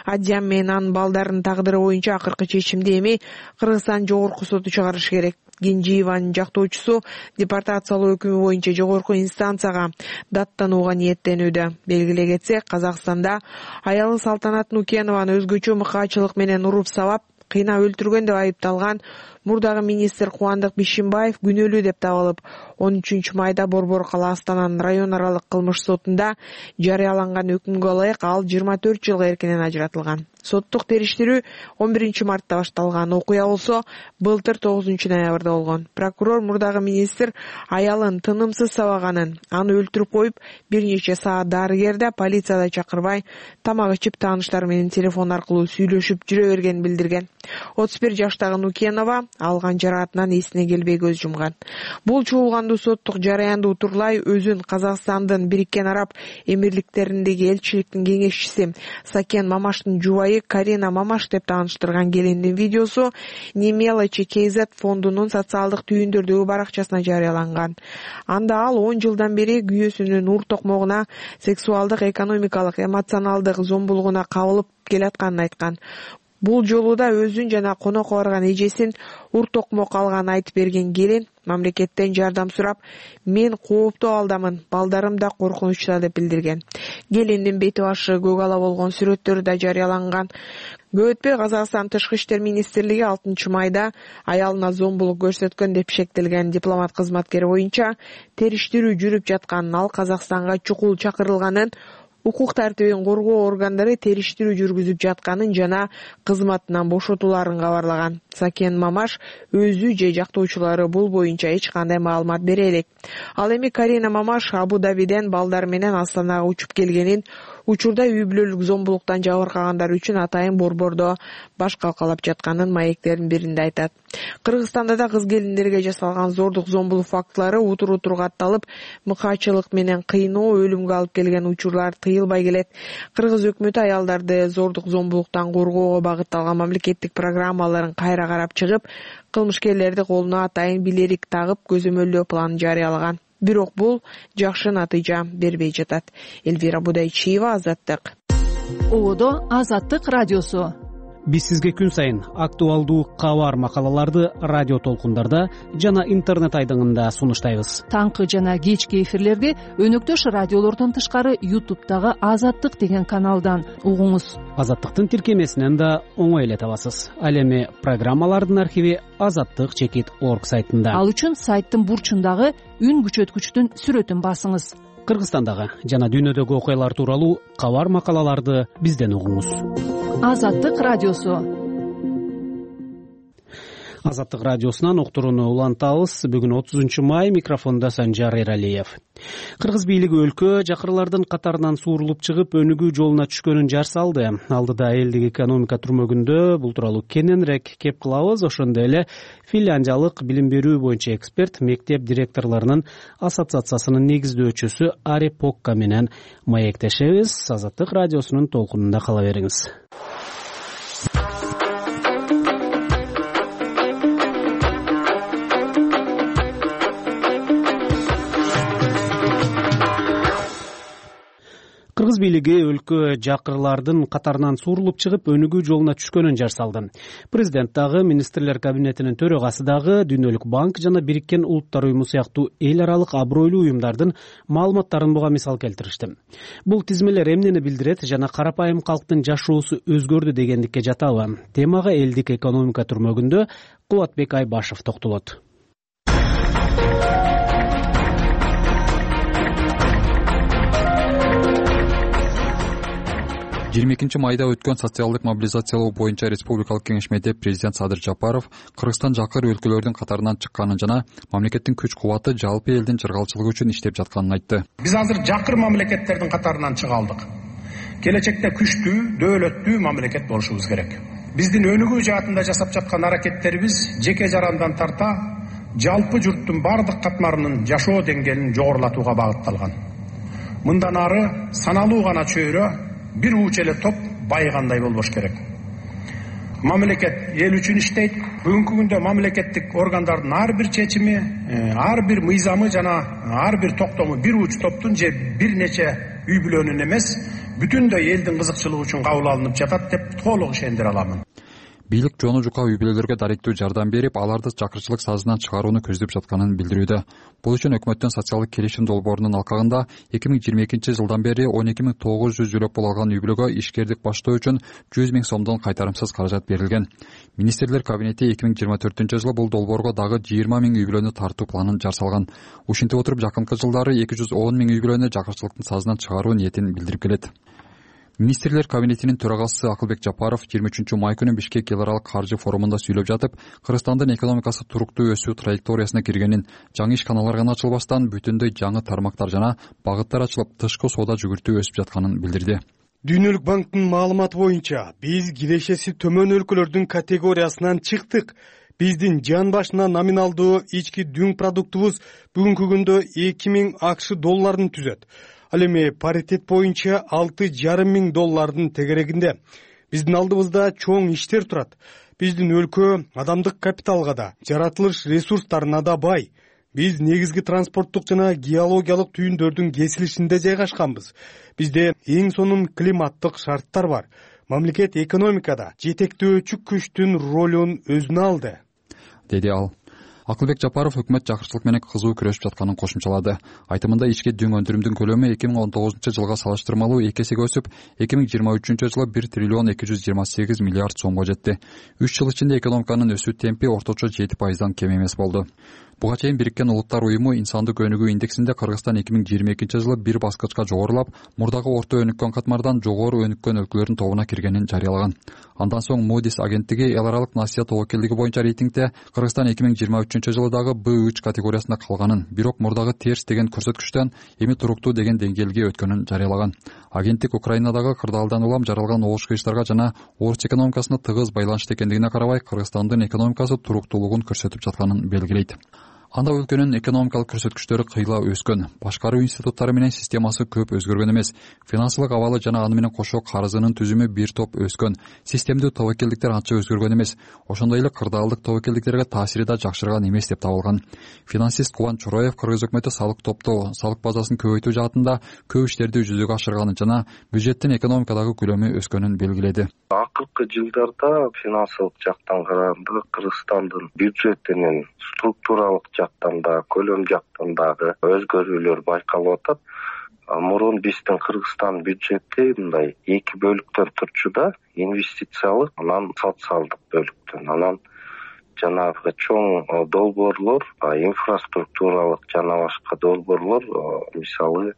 Адиям менен анын балдарынын тагдыры боюнча акыркы чечимди эми Кыргызстан жогорку соту чыгарышы керек. Кенжиеванын жактоочусу депортациялоо өкүмү боюнча жогорку инстанцияга даттанууга ниеттенүүдө. Белгилей кетсек, Казакстанда аялы Салтанат Нукенованы өзгөчө мыкаачылык менен уруп сабап, кыйнап өлтүргөн деп айыпталган мурдагы министр Кубандык Бишимбаев күнөөлүү деп табылып, он үчүнчү майда Борбор кала Астананын район аралык кылмыш сотунда жарыяланган өкүмгө ылайык ал жыйырма төрт жылга эркинен ажыратылган. Соттук териштирүү он биринчи мартта башталган. Окуя болсо былтыр тогузунчу ноябрда болгон. Прокурор мурдагы министр аялын тынымсыз сабаганын, аны өлтүрүп коюп, бир нече саат дарыгерде полицияда чакырбай, тамак ичип тааныштары менен телефон аркылуу сүйлөшүп жүрө бергенин билдирген. отуз бир жаштагы Нукенова алган жараатынан эсине келбей көз жумган. Бул чуулгандуу соттук жараянды утурлай өзүн Казакстандын Бириккен Араб Эмирликтериндеги элчиликтин кеңешчиси Сакен Мамаштын жубайы Карина Мамаш деп тааныштырган келиндин видеосу Немелочи кей зет фондунун социалдык түйүндөрдөгү баракчасына жарыяланган. Анда ал он жылдан бери күйөөсүнүн ур токмогуна, сексуалдык, экономикалык, эмоционалдык зомбулугуна кабылып келатканын айткан. Бул жолу да өзүн жана конокко барган эжесин ур токмок алганын айтып берген келин мамлекеттен жардам сурап, мен кооптуу абалдамын, балдарым да коркунучта деп билдирген. Келиндин бети башы көк ала болгон сүрөттөрү да жарыяланган. Көп өтпөй Казакстан Тышкы иштер министрлиги алтынчы майда аялына зомбулук көрсөткөн деп шектелген дипломат кызматкери боюнча териштирүү жүрүп жатканын, ал Казакстанга чукул чакырылганын, укук тартибин коргоо органдары териштирүү жүргүзүп жатканын жана кызматынан бошотуларын кабарлаган. Сакен Мамаш өзү же жактоочулары бул боюнча эч кандай маалымат бере элек. Ал эми Карина Мамаш Абу-Дабиден балдар менен Астанага учуп келгенин, учурда үй бүлөлүк зомбулуктан жабыркагандар үчүн атайын борбордо баш калкалап жатканын маектердин биринде айтат. Кыргызстанда да кыз келиндерге жасалган зордук зомбулук фактылары утур утур катталып, мыкаачылык менен кыйноо, өлүмгө алып келген учурлар тыйылбай келет. Кыргыз өкмөтү аялдарды зордук зомбулуктан коргоого багытталган мамлекеттик программаларын кайра карап чыгып, кылмышкерлерди колуна атайын билерик тагып көзөмөлдөө планын жарыялаган. Бирок бул жакшы натыйжа бербей жатат. Эльвира Будайчиева, Азаттык. Одо Азаттык радиосу. Биз сизге күн сайын актуалдуу кабар макалаларды радио толкундарда жана интернет айдыңында сунуштайбыз. Таңкы жана кечки эфирлерди өнөктөш радиолордон тышкары ютубтагы Азаттык деген каналдан угуңуз. Азаттыктын тиркемесинен да оңой эле табасыз. Ал эми программалардын архиви азаттык чекит орг сайтында. Ал үчүн сайттын бурчундагы үн күчөткүчтүн сүрөтүн басыңыз. Кыргызстандагы жана дүйнөдөгү окуялар тууралуу кабар макалаларды бизден угуңуз. Азаттык радиосу. Азаттык радиосунан уктурууну улантабыз. Бүгүн отузунчу май, микрофондо Санжар Эралиев. Кыргыз бийлиги өлкө жакырлардын катарынан суурулуп чыгып, өнүгүү жолуна түшкөнүн жар салды. Алдыда элдик экономика түрмөгүндө. Бул тууралуу кененирээк кеп кылабыз. Ошондой эле финляндиялык билим берүү боюнча эксперт, мектеп директорлорунун ассоциациясынын негиздөөчүсү Ари Покка менен маектешебиз. Азаттык радиосунун толкунунда кала бериңиз. Кыргыз бийлиги өлкө жакырлардын катарынан суурулуп чыгып, өнүгүү жолуна түшкөнүн жар салды. Президент дагы, министрлер кабинетинин төрагасы дагы Дүйнөлүк банк жана Бириккен Улуттар уюму сыяктуу эл аралык абройлуу уюмдардын маалыматтарын буга мисал келтиришти. Бул тизмелер эмнени билдирет жана карапайым калктын жашоосу өзгөрдү дегендикке жатабы? Темага элдик экономика түрмөгүндө Кубатбек Айбашев токтолот. жыйырма экинчи майда өткөн социалдык мобилизациялоо боюнча республикалык кеңешмеде президент Садыр Жапаров Кыргызстан жакыр өлкөлөрдүн катарынан чыкканын жана мамлекеттин күч кубаты жалпы элдин чыргалчылыгы үчүн иштеп жатканын айтты. Биз азыр жакыр мамлекеттердин катарынан чыга алдык. Келечекте күчтүү, дөөлөттүү мамлекет болушубуз керек. Биздин өнүгүү жаатында жасап жаткан аракеттерибиз жеке жарандан тарта жалпы журттун бардык катмарынын жашоо деңгээлин жогорулатууга багытталган. Мындан ары саналуу гана чөйрө, бир уч эле топ байыгандай болбош керек. Мамлекет эл үчүн иштейт. Бүгүнкү күндө мамлекеттик органдардын ар бир чечими, ар бир мыйзамы жана ар бир токтому бир уч топтун же бир нече үй бүлөнүн эмес, бүтүндөй элдин кызыкчылыгы үчүн кабыл алынып жатат деп толук ишендире аламын. Бийлик жону жука үй бүлөлөргө даректүү жардам берип, аларды чакырчылык сазынан чыгарууну көздөп жатканын билдирүүдө. Бул үчүн өкмөттүн социалдык келишим долбоорунун алкагында эки миң жыйырма экинчи жылдан бери он эки миң тогуз жүз жөлөп пул алган үй бүлөгө ишкердик баштоо үчүн жүз миң сомдон кайтарымсыз каражат берилген. Министрлер кабинети эки миң жыйырма төртүнчү жылы бул долбоорго дагы жыйырма миң үй бүлөнү тартуу планын жар салган. Ушинтип отуруп, жакынкы жылдары эки жүз он миң үй бүлөнү жакырчылыктын сазынан чыгаруу ниетин билдирип келет. Министрлер кабинетинин төрагасы Акылбек Жапаров жыйырма үчүнчү май күнү Бишкек эл аралык каржы форумунда сүйлөп жатып, Кыргызстандын экономикасы туруктуу өсүү траекториясына киргенин, жаңы ишканалар гана ачылбастан бүтүндөй жаңы тармактар жана багыттар ачылып, тышкы соода жүгүртүү өсүп жатканын билдирди. Дүйнөлүк банктын маалыматы боюнча, биз кирешеси төмөн өлкөлөрдүн категориясынан чыктык. Биздин жан башына номиналдуу ички дүң продуктубуз бүгүнкү күндө эки миң акш долларын түзөт. Ал эми паритет боюнча алты жарым миң доллардын тегерегинде. Биздин алдыбызда чоң иштер турат. Биздин өлкө адамдык капиталга да, жаратылыш ресурстарына да бай. Биз негизги транспорттук жана геологиялык түйүндөрдүн кесилишинде жайгашканбыз. Бизде эң сонун климаттык шарттар бар. Мамлекет экономикада жетектөөчү күчтүн ролун өзүнө алды, деди ал. Акылбек Жапаров өкмөт жакырчылык менен кызуу күрөшүп жатканын кошумчалады. Айтымында ички дүң өндүрүмдүн көлөмү эки миң он тогузунчу жылга салыштырмалуу эки эсеге өсүп, эки миң жыйырма үчүнчү жылы бир триллион эки жүз жыйырма сегиз миллиард сомго жетти. үч жыл ичинде экономиканын өсүү темпи орточо жети пайыздан кем эмес болду. Буга чейин Бириккен Улуттар уюму инсандык өнүгүү индексинде Кыргызстан эки миң жыйырма экинчи жылы бир баскычка жогорулап, мурдагы орто өнүккөн катмардан жогору өнүккөн өлкөлөрдүн тобуна киргенин жарыялаган. Андан соң Moody's агенттиги эл аралык насыя тобокелдиги боюнча рейтингде Кыргызстан эки миң жыйырма үчүнчү жылы дагы Б үч категориясында калганын, бирок мурдагы терс деген көрсөткүчтөн эми туруктуу деген деңгээлге өткөнүн жарыялаган. Агенттик Украинадагы кырдаалдан улам жаралган огуш кыйыштарга жана орус экономикасына тыгыз байланыштуу экендигине карабай, Кыргызстандын экономикасы туруктуулугун көрсөтүп жатканын белгилейт. Анда өлкөнүн экономикалык көрсөткүчтөрү кыйла өскөн. Башкаруу институттары менен системасы көп өзгөргөн эмес. Финансылык абалы жана аны менен кошо карызынын түзүмү бир топ өскөн. Системдүү тобокелдиктер анча өзгөргөн эмес. Ошондой эле кырдаалдык тобокелдиктерге таасири да жакшырган эмес деп табылган. Финансист Кубан Чуроев Кыргыз өкмөтү салык топтоо, салык базасын көбөйтүү жаатында көп иштерди жүзөгө ашырганын жана бюджеттин экономикадагы көлөмү өскөнүн белгиледи. Акыркы жылдарда финансылык жактан караганда Кыргызстандын бюджетинин структуралык жактан да, көлөм жактан дагы өзгөрүүлөр байкалып атат. Мурун биздин Кыргызстан бюджети мындай эки бөлүктөн турчу да, инвестициялык, анан социалдык бөлүктөн. Анан жанагы чоң долбоорлор, инфраструктуралык жана башка долбоорлор, мисалы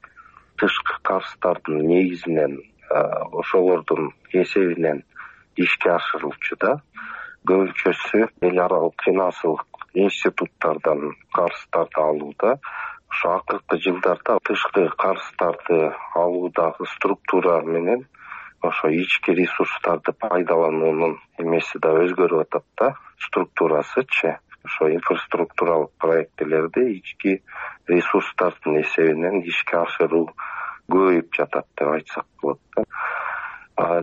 тышкы карыздардын негизинен, ошолордун эсебинен ишке ашырылчу да. Көбүнчөсү эл аралык финансылык институттардан карыздарды алууда. Ошо акыркы жылдарда тышкы карыздарды алуудагы структура менен ошо ички ресурстарды пайдалануунун эмеси да өзгөрүп атат да, структурасычы. Ошо инфраструктуралык проектилерди ички ресурстардын эсебинен ишке ашыруу көбөйүп жатат деп айтсак болот да.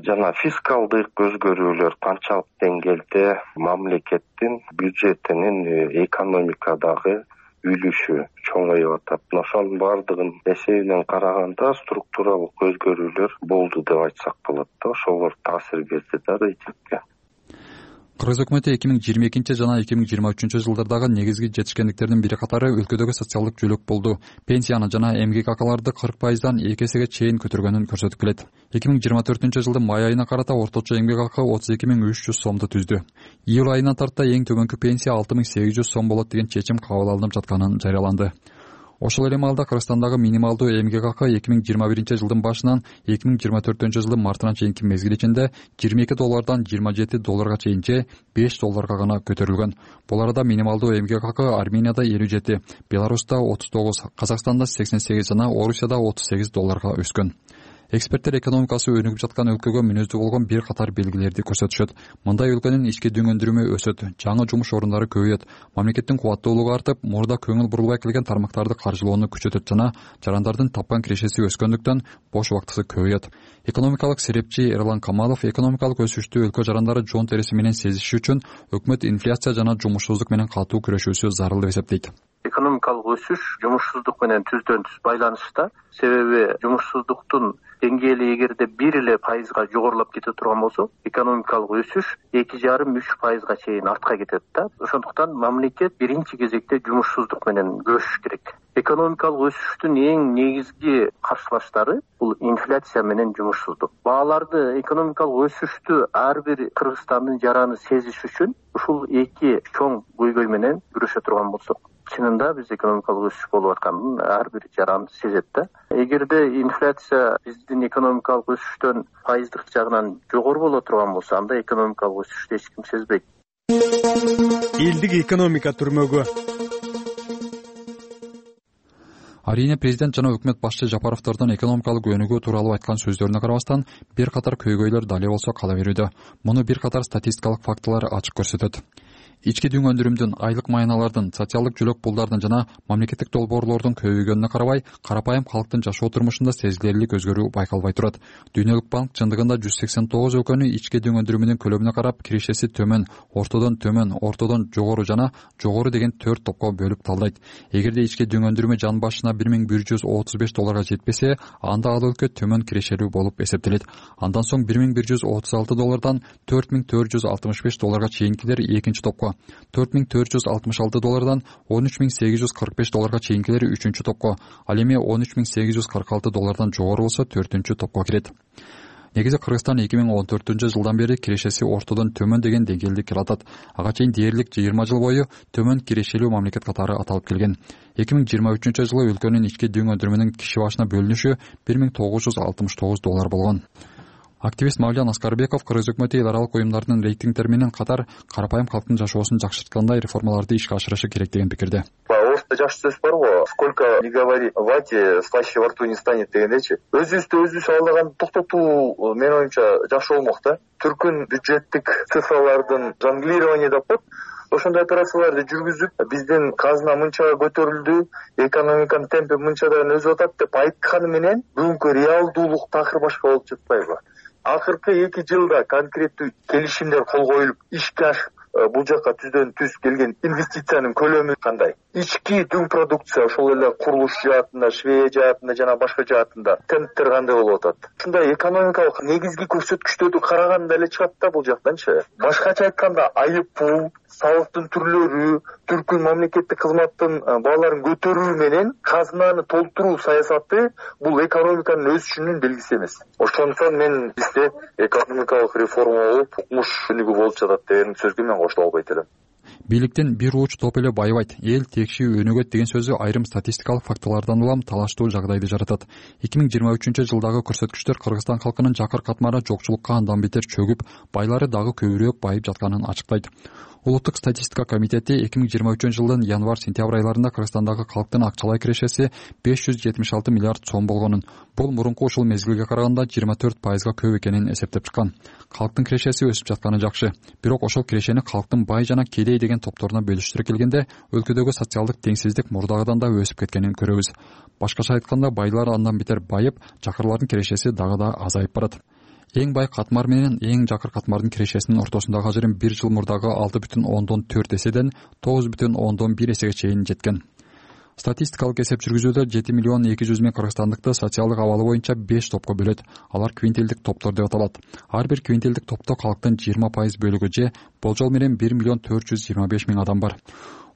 Жана фискалдык өзгөрүүлөр канчалык деңгээлде мамлекеттин бюджетинин экономикадагы үлүшү чоңоюп атат. Ошонун баардыгын эсебинен караганда структуралык өзгөрүүлөр болду деп айтсак болот да. Ошолор таасир берди да рейтингге. Кыргыз өкмөтү эки миң жыйырма экинчи жана эки миң жыйырма үчүнчү жылдардагы негизги жетишкендиктердин бири катары өлкөдөгү социалдык жөлөк болду. Пенсияны жана эмгек акыларды кырк пайыздан эки эсеге чейин көтөргөнүн көрсөтүп келет. эки миң жыйырма төртүнчү жылдын май айына карата орточо эмгек акы отуз эки миң үч жүз сомду түздү. Июль айына тарта эң төмөнкү пенсия алты миң сегиз жүз сом болот деген чечим кабыл алынып жатканын жарыяланды. Ошол эле маалда Кыргызстандагы минималдуу эмгек акы эки миң жыйырма биринчи жылдын башынан эки миң жыйырма төртүнчү жылдын мартына чейинки мезгил ичинде жыйырма эки доллардан жыйырма жети долларга чейин же беш долларга гана көтөрүлгөн. Бул арада минималдуу эмгек акы Арменияда элүү жети, Беларуста отуз тогуз, Казакстанда сексен сегиз жана Орусияда отуз сегиз долларга өскөн. Эксперттер экономикасы өнүгүп жаткан өлкөгө мүнөздүү болгон бир катар белгилерди көрсөтүшөт. Мындай өлкөнүн ички дүң өндүрүмү өсөт, жаңы жумуш орундары көбөйөт, мамлекеттин кубаттуулугу артып, мурда көңүл бурулбай келген тармактарды каржылоону күчөтөт жана жарандардын тапкан кирешеси өскөндүктөн бош убактысы көбөйөт. Экономикалык серепчи Эрлан Камалов экономикалык өсүштү өлкө жарандары жон териси менен сезиши үчүн өкмөт инфляция жана жумушсуздук менен катуу күрөшүүсү зарыл деп эсептейт. Экономикалык өсүш жумушсуздук менен түздөн түз байланышта. Себеби жумушсуздуктун деңгээли эгерде бир эле пайызга жогорулап кете турган болсо, экономикалык өсүш эки жарым үч пайызга чейин артка кетет да. Ошондуктан мамлекет биринчи кезекте жумушсуздук менен күрөшүш керек. Экономикалык өсүштүн эң негизги каршылаштары бул инфляция менен жумушсуздук. Бааларды, экономикалык өсүштү ар бир Кыргызстандын жараны сезиш үчүн ушул эки чоң көйгөй менен күрөшө турган болсок, чынында биз экономикалык өсүш болуп атканын ар бир жаран сезет да. Эгерде инфляция биздин экономикалык өсүштөн пайыздык жагынан жогору боло турган болсо, анда экономикалык өсүштү эч ким сезбейт. Элдик экономика түрмөгү. Арийне президент жана өкмөт башчы Жапаровдордун экономикалык өнүгүү тууралуу айткан сөздөрүнө карабастан, бир катар көйгөйлөр дали болсо кала берүүдө. Муну бир катар статистикалык фактылар ачык көрсөтөт. Ички дүң өндүрүмдүн, айлык майналардын, социалдык жөлөк пулдардын жана мамлекеттик долбоорлордун көбөйгөнүнө карабай, карапайым калктын жашоо турмушунда сезилерлик өзгөрүү байкалбай турат. Дүйнөлүк банк чындыгында жүз сексен тогуз өлкөнү ички дүң өндүрүмүнүн көлөмүнө карап, кирешеси төмөн, ортодон төмөн, ортодон жогору жана жогору деген төрт топко бөлүп талдайт. Эгерде ички дүң өндүрүмү жан башына бир миң бир жүз отуз беш долларга жетпесе, анда ал өлкө төмөн кирешелүү болуп эсептелет. Андан соң бир миң бир жүз отуз алты доллардан төрт миң төрт жүз алтымыш беш долларга чейинкилер экинчи топко, топко, төрт миң төрт жүз алтымыш алты доллардан он үч миң сегиз жүз кырк беш долларга чейинкилери үчүнчү топко, ал эми он үч миң сегиз жүз кырк алты доллардан жогору болсо төртүнчү топко кирет. Негизи Кыргызстан эки миң он төртүнчү жылдан бери кирешеси ортодон төмөн деген деңгээлди келатат. Ага чейин дээрлик жыйырма жыл бою төмөн кирешелүү мамлекет катары аталып келген. эки миң жыйырма үчүнчү жылы өлкөнүн ички дүң өндүрүмүнүн киши башына бөлүнүшү бир миң тогуз жүз алтымыш тогуз доллар болгон. Активист Мавлян Аскарбеков Кыргыз өкмөтү эл аралык уюмдардын рейтингдери менен катар карапайым калктын жашоосун жакшырткандай реформаларды ишке ашырышы керек деген пикирде. Орусда жакшы сөз бар го, сколько не говори о вате, слаще во рту не станет дегендечи. Өзүбүздү өзүбүз алдаган токтотуу менин оюмча жакшы болмок да. Түркүн бюджеттик цифралардын жонглирование деп коет. Ошондой операцияларды жүргүзүп, биздин казына мынча көтөрүлдү, экономиканын темпи мынчадан өсүп атат деп айтканы менен бүгүнкү реалдуулук такыр башка болуп жатпайбы? Акыркы эки жылда конкреттүү келишимдер кол коюлуп, ишке ашып, бул жака түздөн түз келген инвестициянын көлөмү кандай? Ички дүң продукция ошол эле курулуш жаатында, швей жаатында жана башка жаатында темптер кандай болуп атат? Ушундай экономикалык негизги көрсөткүчтөрдү караганда эле чыгат да бул жактанчы. Башкача айтканда, айып пул, салыктын түрлөрү, түркүн мамлекеттик кызматтын бааларын көтөрүү менен казынаны толтуруу саясаты бул экономиканын өсүшүнүн белгиси эмес. Ошондуктан мен бизде экономикалык реформа болуп, укмуш өнүгүү болуп жатат деген сөзгө мен кошула албайт элем. Бийликтен бир ууч топ эле байыбайт, эл текши өнүгөт деген сөзү айрым статистикалык фактылардан улам талаштуу жагдайды жаратат. эки миң жыйырма үчүнчү жылдагы көрсөткүчтөр Кыргызстан халкынын жакыр катмары жокчулукка андан бетер чөгүп, байлары дагы көбүрөөк байып жатканын ачыктайт. Улуттук статистика комитети эки миң жыйырма үчүнчү жылдын январь-сентябрь айларында Кыргызстандагы калктын акчалай кирешеси беш жүз жетимиш алты миллиард сом болгонун, бул мурунку ушул мезгилге караганда жыйырма төрт пайызга көп экенин эсептеп чыккан. Калктын кирешеси өсүп жатканы жакшы, бирок ошол кирешени калктын бай жана кедей деген топторуна бөлүштүрө келгенде өлкөдөгү социалдык теңсиздик мурдагыдан да өсүп кеткенин көрөбүз. Башкача айтканда, байлар андан бетер байып, жакырлардын кирешеси дагы да азайып барат. Эң бай катмар менен эң жакыр катмардын кирешесинин ортосундагы ажырым бир жыл мурдагы алты бүтүн ондон төрт эседен тогуз бүтүн ондон бир эсеге чейин жеткен. Статистикалык эсеп жүргүзүүдө жети миллион эки жүз миң кыргызстандыкты социалдык абалы боюнча беш топко бөлөт. Алар квинтилдик топтор деп аталат. Ар бир квинтилдик топто калктын жыйырма пайыз бөлүгү же болжол менен бир миллион төрт жүз жыйырма беш миң адам бар.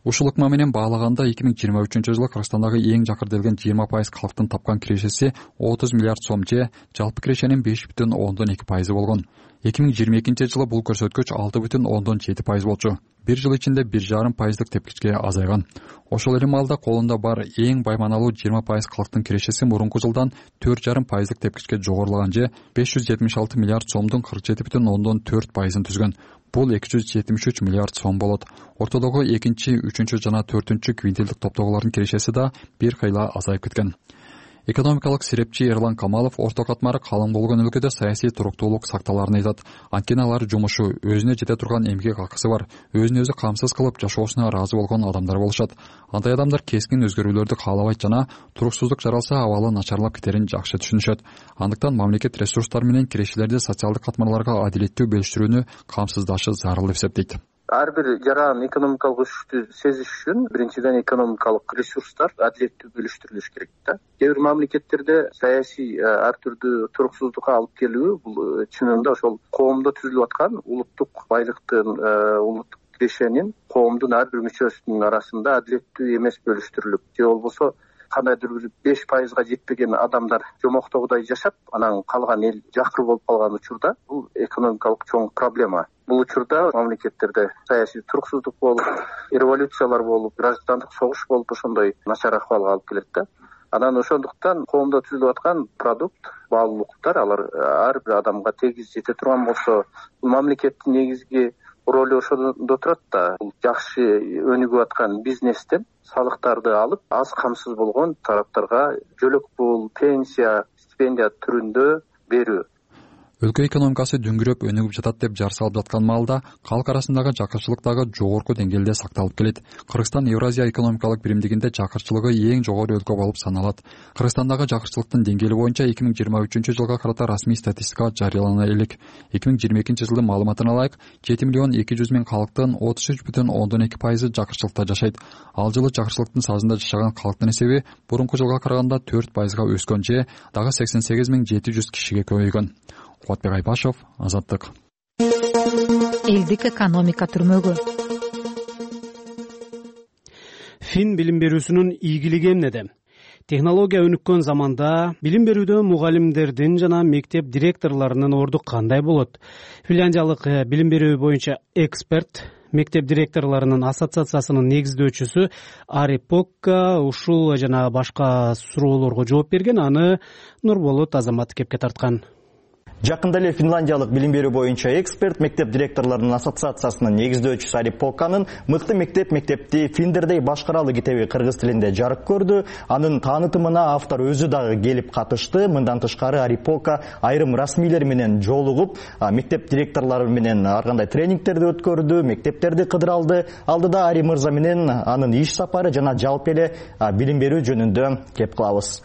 Ушул ыкма менен баалаганда эки миң жыйырма үчүнчү жылы Кыргызстандагы эң жакыр делген жыйырма пайыз калктын тапкан кирешеси отуз миллиард сом же жалпы кирешенин беш бүтүн ондон эки пайызы болгон. эки миң жыйырма экинчи жылы бул көрсөткүч алты бүтүн ондон жети пайыз болчу. Бир жыл ичинде бир жарым пайыздык тепкичке азайган. Ошол эле маалда колунда бар эң байманалуу жыйырма пайыз калктын кирешеси мурунку жылдан төрт жарым пайыздык тепкичке жогорулаган же беш жүз жетимиш алты миллиард сомдун кырк жети бүтүн ондон төрт пайызын түзгөн. Бул эки жүз жетимиш үч миллиард сом болот. Ортодогу экинчи, үчүнчү жана төртүнчү квинтилдик топтогулардын кирешеси да бир кыйла азайып кеткен. Экономикалык серепчи Эрлан Камалов орто катмары калың болгон өлкөдө саясий туруктуулук сакталарын айтат. Анткени алар жумушу, өзүнө жете турган эмгек акысы бар, өзүн өзү камсыз кылып жашоосуна ыраазы болгон адамдар болушат. Андай адамдар кескин өзгөрүүлөрдү каалабайт жана туруксуздук жаралса абалы начарлап кетерин жакшы түшүнүшөт. Андыктан мамлекет ресурстары менен кирешелерди социалдык катмарларга адилеттүү бөлүштүрүүнү камсыздашы зарыл деп эсептейт. Ар бир жаран экономикалык өсүштү сезиш үчүн биринчиден экономикалык ресурстар адилеттүү бөлүштүрүлүш керек да. Кээ бир мамлекеттерде саясий ар түрдүү туруксуздукка алып келүү бул чынында ошол коомдо түзүлүп аткан улуттук байлыктын, улуттук кирешенин коомдун ар бир мүчөсүнүн арасында адилеттүү эмес бөлүштүрүлүп, же болбосо кандайдыр бир беш пайызга жетпеген адамдар жомоктогудай жашап, анан калган эл жакыр болуп калган учурда бул экономикалык чоң проблема. Бул учурда мамлекеттерде саясий туруксуздук болуп, революциялар болуп, граждандык согуш болуп, ошондой начар акыбалга алып келет да. Анан ошондуктан коомдо түзүлүп аткан продукт, баалуулуктар алар ар бир адамга тегиз жете турган болсо, бул мамлекеттин негизги ролу ошондо турат да. Бул жакшы өнүгүп аткан бизнестен салыктарды алып, аз камсыз болгон тараптарга жөлөк пул, пенсия, стипендия түрүндө берүү. Өлкө экономикасы дүңгүрөп өнүгүп жатат деп жар салып жаткан маалда калк арасындагы жакырчылык дагы жогорку деңгээлде сакталып келет. Кыргызстан Евразия экономикалык биримдигинде жакырчылыгы эң жогору өлкө болуп саналат. Кыргызстандагы жакырчылыктын деңгээли боюнча эки миң жыйырма үчүнчү жылга карата расмий статистика жарыялана элек. эки миң жыйырма экинчи жылдын маалыматына ылайык, жети миллион эки жүз миң калктын отуз үч бүтүн ондон эки пайызы жакырчылыкта жашайт. Ал жылы жакырчылыктын сазында жашаган калктын эсеби мурунку жылга караганда төрт пайызга өскөн же дагы сексен сегиз миң жети жүз кишиге көбөйгөн. Кубатбек Айбашев, Азаттык. Элдик экономика түрмөгү. фин билим берүүсүнүн ийгилиги эмнеде? Технология өнүккөн заманда билим берүүдө мугалимдердин жана мектеп директорлорунун орду кандай болот? Финляндиялык билим берүү боюнча эксперт, мектеп директорлорунун ассоциациясынын негиздөөчүсү Ари Покка ушул жана башка суроолорго жооп берген. Аны Нурболот Азамат кепке тарткан. Жакында эле финляндиялык билим берүү боюнча эксперт, мектеп директорлорунун ассоциациясынын негиздөөчүсү Ари Покканын «Мыкты мектеп мектепти финдердей башкаралы» китеби кыргыз тилинде жарык көрдү. Анын таанытымына автор өзү дагы келип катышты. Мындан тышкары Ари Покка айрым расмийлер менен жолугуп, мектеп директорлору менен ар кандай тренингтерди өткөрдү, мектептерди кыдыра алды. Алдыда Ари мырза менен анын иш сапары жана жалпы эле билим берүү жөнүндө кеп кылабыз.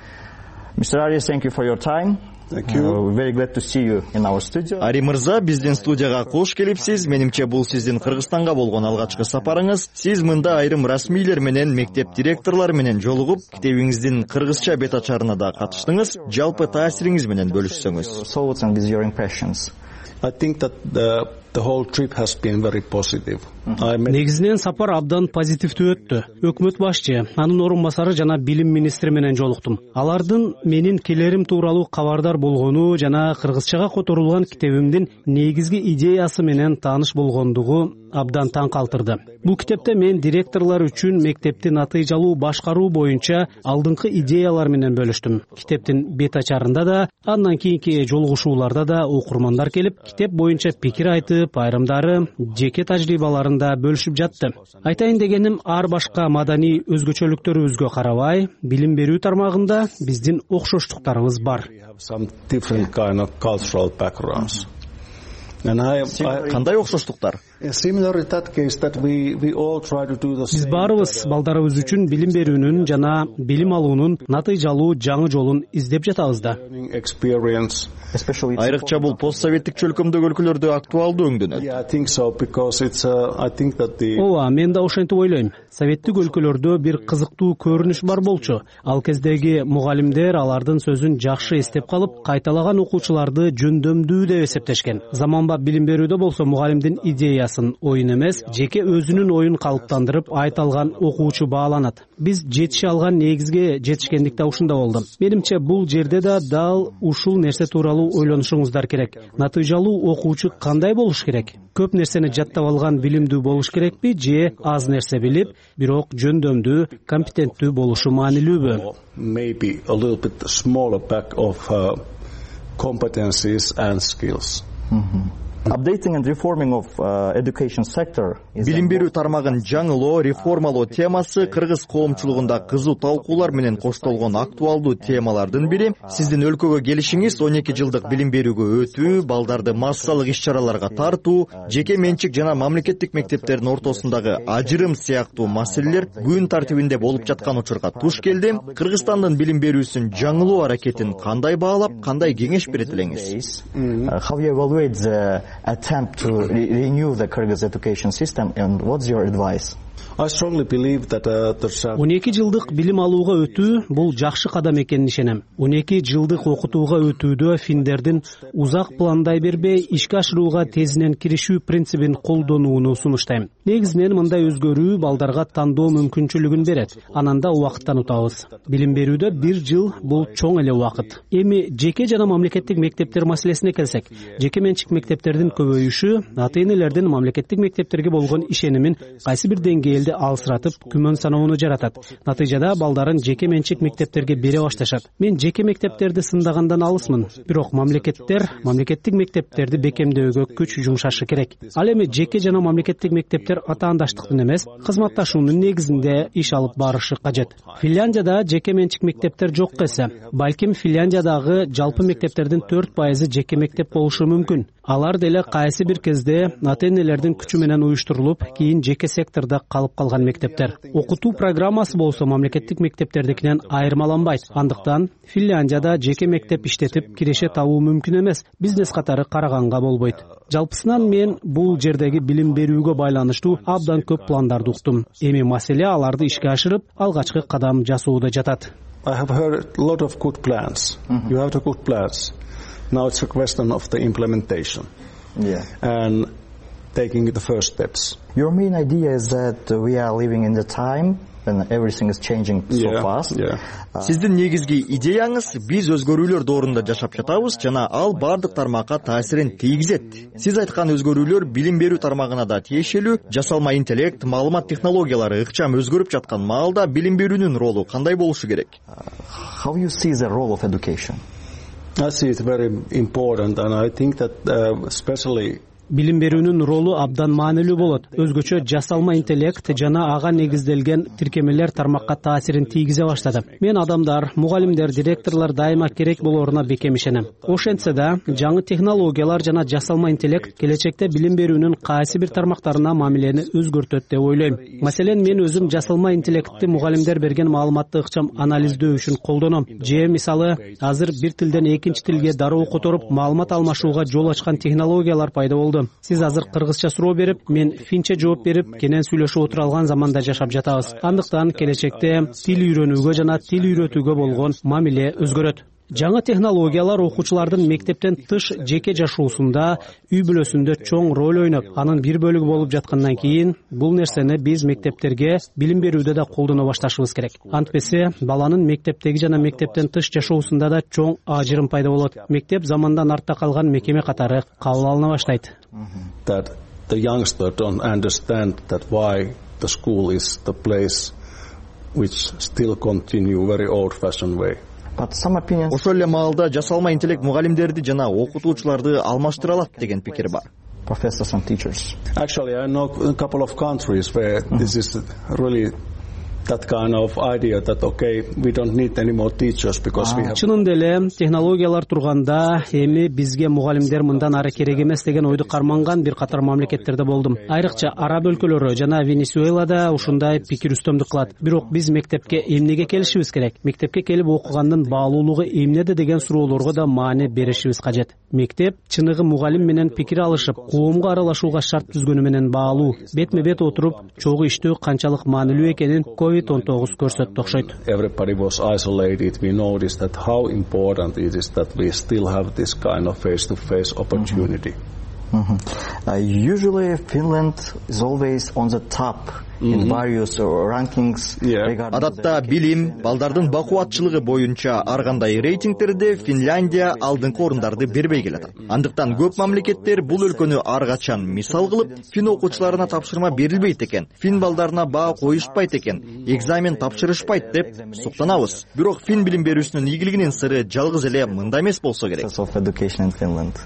мистер Ари, thank you for your time. Thank you. Uh, very glad to see you in our studio. Ари мырза, биздин студияга кош келипсиз. Менимче бул сиздин Кыргызстанга болгон алгачкы сапарыңыз. Сиз мында айрым расмийлер менен, мектеп директорлору менен жолугуп, китебиңиздин кыргызча бет ачарына да катыштыңыз. Жалпы таасириңиз менен бөлүшсөңүз. Thoughts and your impressions. I think that the the whole trip has been very positive. Негизинен сапар абдан позитивдүү өттү. Өкмөт башчы, анын орун басары жана билим министри менен жолуктум. Алардын менин келерим тууралуу кабардар болгону жана кыргызчага которулган китебимдин негизги идеясы менен тааныш болгондугу абдан таң калтырды. Бул китепте мен директорлор үчүн мектепти натыйжалуу башкаруу боюнча алдыңкы идеялар менен бөлүштүм. Китептин бет ачарында да, андан кийинки жолугушууларда да окурмандар келип, китеп боюнча пикир айтып, айрымдары жеке тажрыйбаларын да бөлүшүп жатты. Айтайын дегеним, ар башка маданий өзгөчөлүктөрүбүзгө карабай, билим берүү тармагында биздин окшоштуктарыбыз бар. Кандай окшоштуктар? Биз баарыбыз балдарыбыз үчүн билим берүүнүн жана билим алуунун натыйжалуу жаңы жолун издеп жатабыз да. Айрыкча бул постсоветтик чөлкөмдөгү өлкөлөрдө актуалдуу өңдөнөт. Ооба, мен да ошентип ойлойм. Советтик өлкөлөрдө бир кызыктуу көрүнүш бар болчу. Ал кездеги мугалимдер алардын сөзүн жакшы эстеп калып, кайталаган окуучуларды жөндөмдүү деп эсептешкен. Заманбап билим берүүдө болсо мугалимдин идеясын, оюн эмес, жеке өзүнүн оюн калыптандырып айта алган окуучу бааланат. Биз жетише алган негизге жетишкендик да ушунда болду. Менимче бул жерде да дал ушул нерсе тууралуу ойлонушуңуздар керек. Натыйжалуу окуучу кандай болуш керек? Көп нерсени жаттап алган билимдүү болуш керекпи же аз нерсе билип, бирок жөндөмдүү, компетенттүү болушу маанилүүбү? Maybe a little bit smaller pack of uh, competencies and skills. Mm-hmm. Updating and reforming of uh, education sector. Билим берүү тармагын жаңылоо, реформалоо темасы кыргыз коомчулугунда кызуу талкуулар менен коштолгон актуалдуу темалардын бири. Сиздин өлкөгө келишиңиз он эки жылдык билим берүүгө өтүү, балдарды массалык иш-чараларга тартуу, жеке менчик жана мамлекеттик мектептердин ортосундагы ажырым сыяктуу маселелер күн тартибинде болуп жаткан учурга туш келди. Кыргызстандын билим берүүсүн жаңылоо аракетин кандай баалап, кандай кеңеш берет элеңиз? How you evaluate the attempt to re renew the Kyrgyz education system, and what's your advice? I strongly believe that uh, there's a... он эки жылдык билим алууга өтүү бул жакшы кадам экенин ишенем. он эки жылдык окутууга өтүүдө финдердин узак пландай бербей ишке ашырууга тезинен киришүү принцибин колдонууну сунуштайм. Негизинен мындай өзгөрүү балдарга тандоо мүмкүнчүлүгүн берет. Анан да убакыттан утабыз. Билим берүүдө бир жыл бул чоң эле убакыт. Эми жеке жана мамлекеттик мектептер маселесине келсек, жеке менчик мектептердин көбөйүшү ата-энелердин мамлекеттик мектептерге болгон ишенимин кайсы бир деңгээлде алсыратып, күмөн саноону жаратат. Натыйжада балдарын жеке менчик мектептерге бере башташат. Мен жеке мектептерди сындагандан алысмын, бирок мамлекеттер мамлекеттик мектептерди бекемдөөгө күч жумшашы керек. Ал эми жеке жана мамлекеттик мектептер атаандаштыктын эмес, кызматташуунун негизинде иш алып барышы кажет. Финляндияда жеке менчик мектептер жок эсе, балким Финляндиядагы жалпы мектептердин төрт пайызы жеке мектеп болушу мүмкүн. Алар деле кайсы бир кезде ата-энелердин күчү менен уюштурулуп, кийин жеке сектордо калып калган мектептер. Окутуу программасы болсо мамлекеттик мектептердикинен айырмаланбайт. Андыктан Финляндияда жеке мектеп иштетип киреше табуу мүмкүн эмес, бизнес катары караганга болбойт. Жалпысынан мен бул жердеги билим берүүгө байланыштуу абдан көп пландарды уктум. Эми маселе аларды ишке ашырып, алгачкы кадам жасоодо жатат. I have heard a lot of good plans. Mm-hmm. You have the good plans. Now it's a question of the implementation. Yeah. And taking the first steps. Your main idea is that we are living in the time when everything is changing so Yeah, fast. yeah. Сиздин негизги идеяңыз биз өзгөрүүлөр доорунда жашап жатабыз жана ал бардык тармакка таасирин тийгизет. Сиз айткан өзгөрүүлөр билим берүү тармагына да тиешелүү. Жасалма интеллект, маалымат технологиялары ыкчам өзгөрүп жаткан маалда билим берүүнүн ролу кандай болушу керек? How you see the role of education? I see it very important, and I think that uh, especially билим берүүнүн ролу абдан маанилүү болот. Өзгөчө жасалма интеллект жана ага негизделген тиркемелер тармакка таасирин тийгизе баштады. Мен адамдар, мугалимдер, директорлор дайыма керек болоруна бекем ишенем. Ошентсе да, жаңы технологиялар жана жасалма интеллект келечекте билим берүүнүн кайсы бир тармактарына мамилени өзгөртөт деп ойлойм. Маселен, мен өзүм жасалма интеллектти мугалимдер берген маалыматты ыкчам анализдөө үчүн колдоном. Же мисалы, азыр бир тилден экинчи тилге дароо которуп, маалымат алмашууга жол ачкан технологиялар пайда болду. Сиз азыр кыргызча суроо берип, мен финче жооп берип, кенен сүйлөшүп отура алган заманда жашап жатабыз. Андыктан келечекте тил үйрөнүүгө жана тил үйрөтүүгө болгон мамиле өзгөрөт. Жаңы технологиялар окуучулардын мектептен тыш жеке жашоосунда, үй бүлөсүндө чоң роль ойноп, анын бир бөлүгү болуп жаткандан кийин, бул нерсени биз мектептерге билим берүүдө да колдоно башташыбыз керек. Антпесе, баланын мектептеги жана мектептен тыш жашоосунда да чоң ажырым пайда болот. Мектеп замандан артта калган мекеме катары кабыл алына баштайт. that the youngster don't understand that why the school is the place which still continue very old-fashioned way. Ошол эле маалда жасалма интеллект мугалимдерди жана окутуучуларды алмаштыра алат деген пикир бар. Professors and teachers. Actually, I know a couple of countries where this is really that kind of idea that okay, we don't need any more teachers because we have. Чынында эле технологиялар турганда эми бизге мугалимдер мындан ары керек эмес деген ойду карманган бир катар мамлекеттерде болдум. Айрыкча араб өлкөлөрү жана Венесуэлада ушундай пикир үстөмдүк кылат. Бирок биз мектепке эмнеге келишибиз керек? Мектепке келип окугандын баалуулугу эмнеде деген суроолорго да маани беришибиз кажет. Мектеп чыныгы мугалим менен пикир алышып, коомго аралашууга шарт түзгөнү менен баалуу. Бетме бет отуруп, чогуу иштөө канчалык маанилүү экенин ковид он тогуз көрсөттү окшойт. Everybody was isolated. We noticed that how important it is that we still have this kind of face-to-face opportunity. Mm-hmm. Uh, usually Finland is always on the top in Mm-hmm. various uh, rankings. Yeah. Адатта билим, балдардын бакубатчылыгы боюнча ар кандай рейтингтерде Финляндия алдыңкы орундарды бербей келет. Андыктан көп мамлекеттер бул өлкөнү ар качан мисал кылып, фин окуучуларына тапшырма берилбейт экен, фин балдарына баа коюшпайт экен, экзамен тапшырышпайт деп суктанабыз. Бирок фин билим берүүсүнүн ийгилигинин сыры жалгыз эле мында эмес болсо керек. Of education in Finland.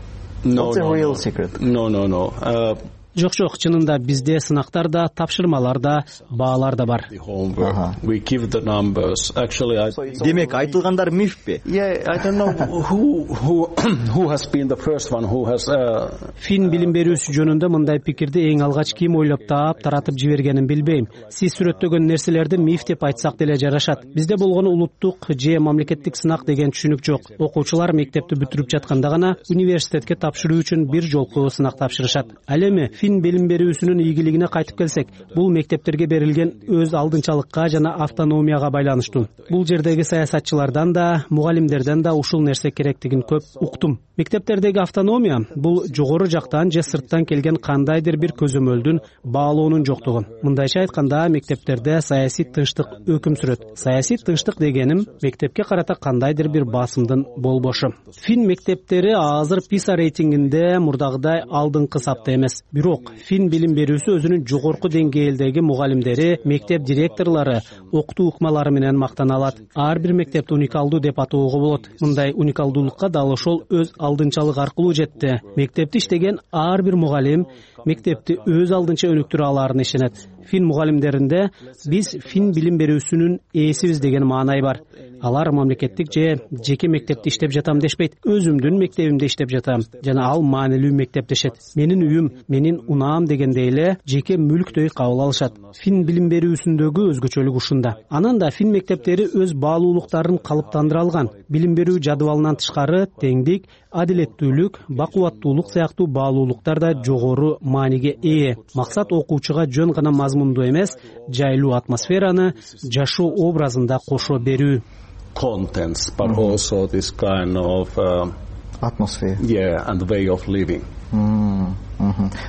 No, What's the no, real no. secret? No, no, no. Uh, Жок жок, чынында бизде сынактар да, тапшырмалар да, баалар да бар. Homework. We give the numbers. Actually, I. Демек айтылгандар мифпи? Yeah, I don't know who who who has been the first one who has. Uh... Фин билим берүүсү жөнүндө мындай пикирди эң алгач ким ойлоп таап, таратып жибергенин билбейм. Сиз сүрөттөгөн нерселерди миф деп айтсак деле жарашат. Бизде болгон улуттук же мамлекеттик сынак деген түшүнүк жок. Окуучулар мектепти бүтүрүп жатканда гана университетке тапшыруу үчүн бир жолку сынак тапшырышат. Ал эми фин билим берүүсүнүн ийгилигине кайтып келсек, бул мектептерге берилген өз алдынчалыкка жана автономияга байланыштуу. Бул жердеги саясатчылардан да, мугалимдерден да ушул нерсе керектигин көп уктум. Мектептердеги автономия бул жогору жактан же сырттан келген кандайдыр бир көзөмөлдүн баалоонун жоктугу. Мындайча айтканда, мектептерде саясий тынчтык өкүм сүрөт. Саясий тынчтык дегеним мектепке карата кандайдыр бир басымдын болбошу. Фин мектептери азыр писа рейтингинде мурдагыдай алдыңкы сапта эмес. Бирок фин билим берүүсү өзүнүн жогорку деңгээлдеги мугалимдери, мектеп директорлору, окутуу ыкмалары менен мактана алат. Ар бир мектепти уникалдуу деп атоого болот. Мындай уникалдуулукка дал ошол өз алдынчалык аркылуу жетти. Мектепти иштеген ар бир мугалим мектепти өз алдынча өнүктүрө аларын ишенет. Фин мугалимдеринде биз фин билим берүүсүнүн ээсибиз деген маанай бар. Алар мамлекеттик же жеке мектепте иштеп жатам дешпейт. Өзүмдүн мектебимде иштеп жатам жана ал маанилүү мектеп дешет. Менин үйүм, менин унаам дегендей эле жеке мүлктөй кабыл алышат. Фин билим берүүсүндөгү өзгөчөлүк ушунда. Анан да фин мектептери өз баалуулуктарын калыптандыра алган. Билим берүү жадыбалынан тышкары теңдик, адилеттүүлүк, бакубаттуулук сыяктуу баалуулуктар да жогору мааниге ээ. Максат окуучуга жөн гана мазмунду эмес, жайлуу атмосфераны жашоо образында кошо берүү. Contents, but mm-hmm. also this kind of uh, atmosphere. Yeah, and way of living. Mm.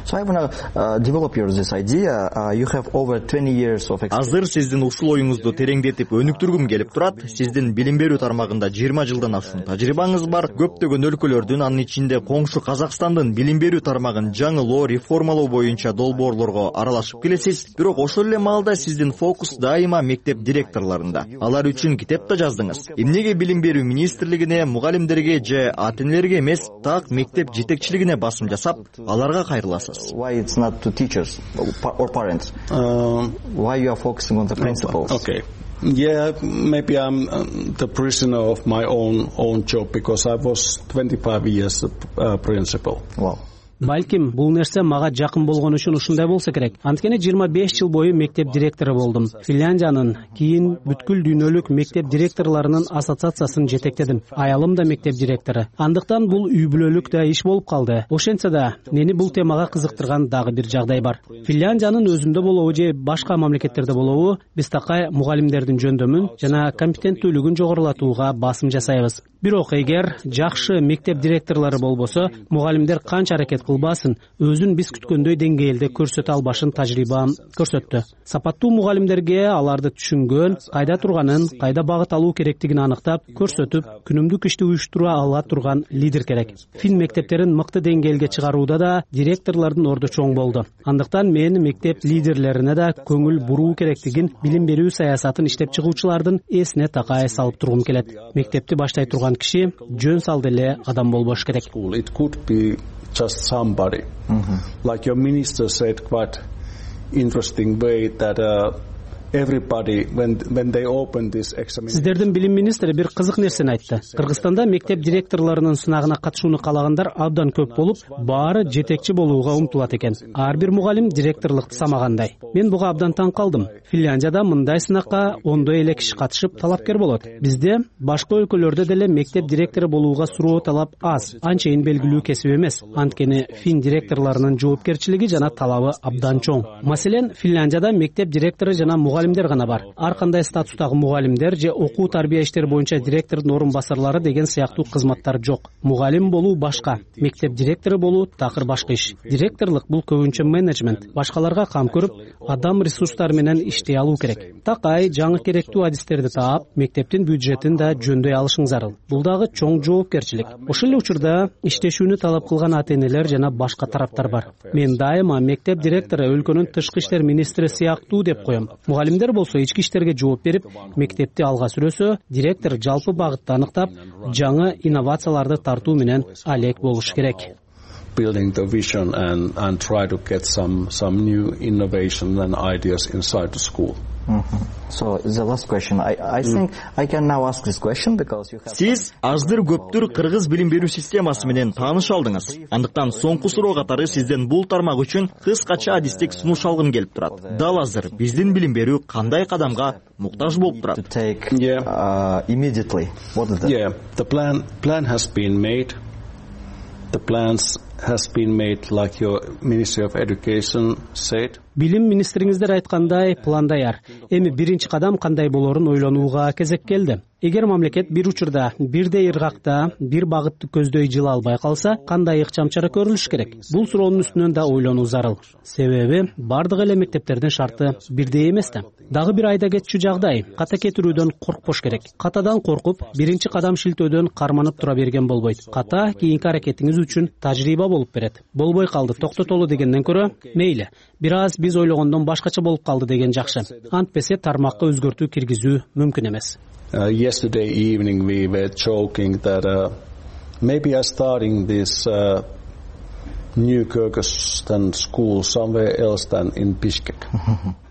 So I want to develop your this idea. You have over twenty years of experience. Азыр сиздин ушул оюңузду тереңдетип өнүктүргүм келип турат. Сиздин билим берүү тармагында жыйырма жылдан ашуун тажрыйбаңыз бар. Көптөгөн өлкөлөрдүн, анын ичинде коңшу Казакстандын билим берүү тармагын жаңылоо, реформалоо боюнча долбоорлорго аралашып келесиз. Бирок ошол эле маалда сиздин фокус дайыма мектеп директорлорунда. Алар үчүн китеп да жаздыңыз. Эмнеге билим берүү министрлигине, мугалимдерге же ата-энелерге эмес, так мектеп жетекчилигине басым жасап, аларга кайрыласыз? Why it's not to teachers or parents? Um, Why you are focusing on the principals? Okay. Yeah, maybe I'm um, the prisoner of my own own job because I was twenty-five years uh, principal. Wow. Балким, бул нерсе мага жакын болгон үчүн ушундай болсо керек. Анткени жыйырма беш жыл бою мектеп директору болдум. Финляндиянын, кийин бүткүл дүйнөлүк мектеп директорлорунун ассоциациясын жетектедим. Аялым да мектеп директору. Андыктан бул үй бүлөлүк да иш болуп калды. Ошентсе да, мени бул темага кызыктырган дагы бир жагдай бар. Финляндиянын өзүндө болобу же башка мамлекеттерде болобу, биз такай мугалимдердин жөндөмүн жана компетенттүүлүгүн жогорулатууга басым жасайбыз. Бирок эгер жакшы мектеп директорлору болбосо, мугалимдер канча аракет кылбасын, өзүн биз күткөндөй деңгээлде көрсөтө албашын тажрыйбам көрсөттү. Сапаттуу мугалимдерге аларды түшүнгөн, кайда турганын, кайда багыт алуу керектигин аныктап, көрсөтүп, күнүмдүк ишти уюштура ала турган лидер керек. Фин мектептерин мыкты деңгээлге чыгарууда да директорлордун орду чоң болду. Андыктан мен мектеп лидерлерине да көңүл буруу керектигин билим берүү саясатын иштеп чыгуучулардын эсине такай салып тургум келет. Мектепти баштай турган киши жөн салды эле адам болбош керек. It could be just somebody. Mm-hmm. Like your minister said quite interesting way that uh, everybody when when they open this examination. Сиздердин билим министри бир кызык нерсени айтты. Кыргызстанда мектеп директорлорунун сынагына катышууну каалагандар абдан көп болуп, баары жетекчи болууга умтулат экен. Ар бир мугалим директорлукту самагандай. Мен буга абдан таң калдым. Финляндияда мындай сынакка ондой эле киши катышып талапкер болот. Бизде башка өлкөлөрдө деле мектеп директору болууга суроо талап аз, анчейин белгилүү кесип эмес. Анткени фин директорлорунун жоопкерчилиги жана талабы абдан чоң. Маселен, Финляндияда мектеп директору жана мугалимдер гана бар. Ар кандай статустагы мугалимдер же окуу тарбия иштери боюнча директордун орун басарлары деген сыяктуу кызматтар жок. Мугалим болуу башка, мектеп директору болуу такыр башка иш. Директорлук бул көбүнчө менеджмент, башкаларга кам көрүп, адам ресурстары менен иштей алуу керек. Такай жаңы керектүү адистерди таап, мектептин бюджетин да жөндөй алышың зарыл. Бул дагы чоң жоопкерчилик. Ошол эле учурда иштешүүнү талап кылган ата-энелер жана башка тараптар бар. Мен дайыма мектеп директору өлкөнүн тышкы иштер министри сыяктуу деп коем. Мугалимдер болсо ички иштерге жооп берип, мектепти алга сүрөсө, директор жалпы багытты аныктап, жаңы инновацияларды тартуу менен алек болуш керек. Building the vision and and try to get some some new innovation and ideas inside the school. Mm-hmm. So the last question, I I think I can now ask this question because you have. Сиз аздыр көптүр кыргыз билим берүү системасы менен тааныша алдыңыз. Андыктан соңку суроо катары сизден бул тармак үчүн кыскача адистик сунуш алгым келип турат. Дал азыр биздин билим берүү кандай кадамга муктаж болуп турат? To take yeah. uh, immediately. What is that? Yeah, the plan plan has been made. The plans has been made like your Ministry of Education said. Билим министриңиздер айткандай план даяр. Эми биринчи кадам кандай болорун ойлонууга кезек келди. Эгер мамлекет бир учурда бирдей ыргакта бир багытты көздөй жыла албай калса, кандай ыкчам чара көрүлүш керек? Бул суроонун үстүнөн да ойлонуу зарыл. Себеби бардык эле мектептердин шарты бирдей эмес да. Дагы бир айда кетчү жагдай, ката кетирүүдөн коркпош керек. Катадан коркуп, биринчи кадам шилтөөдөн карманып тура берген болбойт. Ката кийинки аракетиңиз үчүн тажрыйба болуп берет. Болбой калды, токтотолу дегенден көрө, мейли, бир аз биз ойлогондон башкача болуп калды деген жакшы. Антпесе тармакка өзгөртүү киргизүү мүмкүн эмес. Uh, yesterday evening we were joking that uh, maybe I'm starting this uh, new Kyrgyzstan school somewhere else than in Bishkek.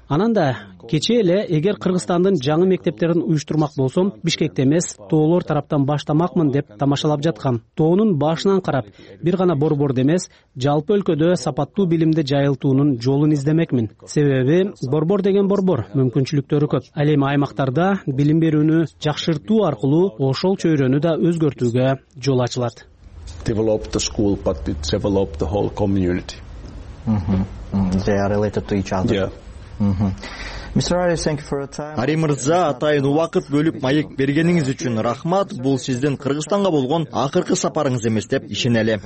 Ананда кечээ эле эгер Кыргызстандын жаңы мектептерин уюштурмак болсом, Бишкекте эмес, тоолор тараптан баштамакмын деп тамашалап жаткам. Тоонун башынан карап, бир гана борборду эмес, жалпы өлкөдө сапаттуу билимди жайылтуунун жолун издемекмин. Себеби борбор деген борбор, мүмкүнчүлүктөрү көп. Ал эми аймактарда билим берүүнү жакшыртуу аркылуу ошол чөйрөнү да өзгөртүүгө жол ачылат. Develop the school, but it develop the whole community. Mm-hmm. Mm-hmm. They are related to each other. Yeah. Ари мырза, атайын убакыт бөлүп маек бергениңиз үчүн рахмат. Бул сиздин Кыргызстанга болгон акыркы сапарыңыз эмес деп ишенели.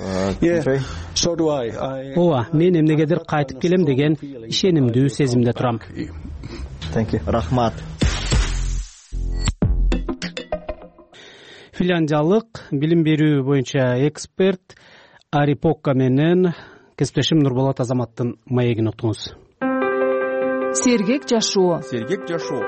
Ооба, мен эмнегедир кайтып келем деген ишенимдүү сезимде турам. Рахмат. Финляндиялык билим берүү боюнча эксперт Ари Покка менен кесиптешим Нурболот Азаматтын маегин уктуңуз. Сергек жашоо. Сергек жашоо.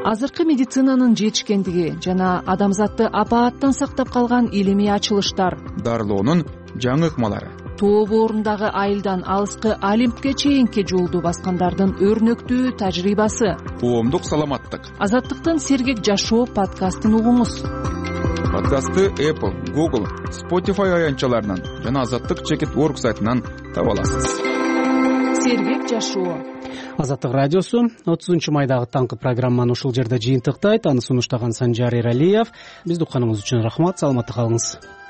Азыркы медицинанын жетишкендиги жана адамзатты апааттан сактап калган илимий ачылыштар. Дарылоонун жаңы ыкмалары. Тоо боорундагы айылдан алыскы Олимпке чейинки жолду баскандардын өрнөктүү тажрыйбасы. Коомдук саламаттык. Азаттыктын Сергек жашоо подкастын угуңуз. Подкастты Apple, Google, Spotify аянтчаларынан жана Азаттык чекит точка орг сайтынан таба аласыз. Сергек жашоо. Азаттык радиосу отузунчу майдагы таңкы программаны ушул жерде жыйынтыктайт. Аны сунуштаган Санжар Эралиев. Бизди укканыңыз үчүн рахмат. Саламатта калыңыз.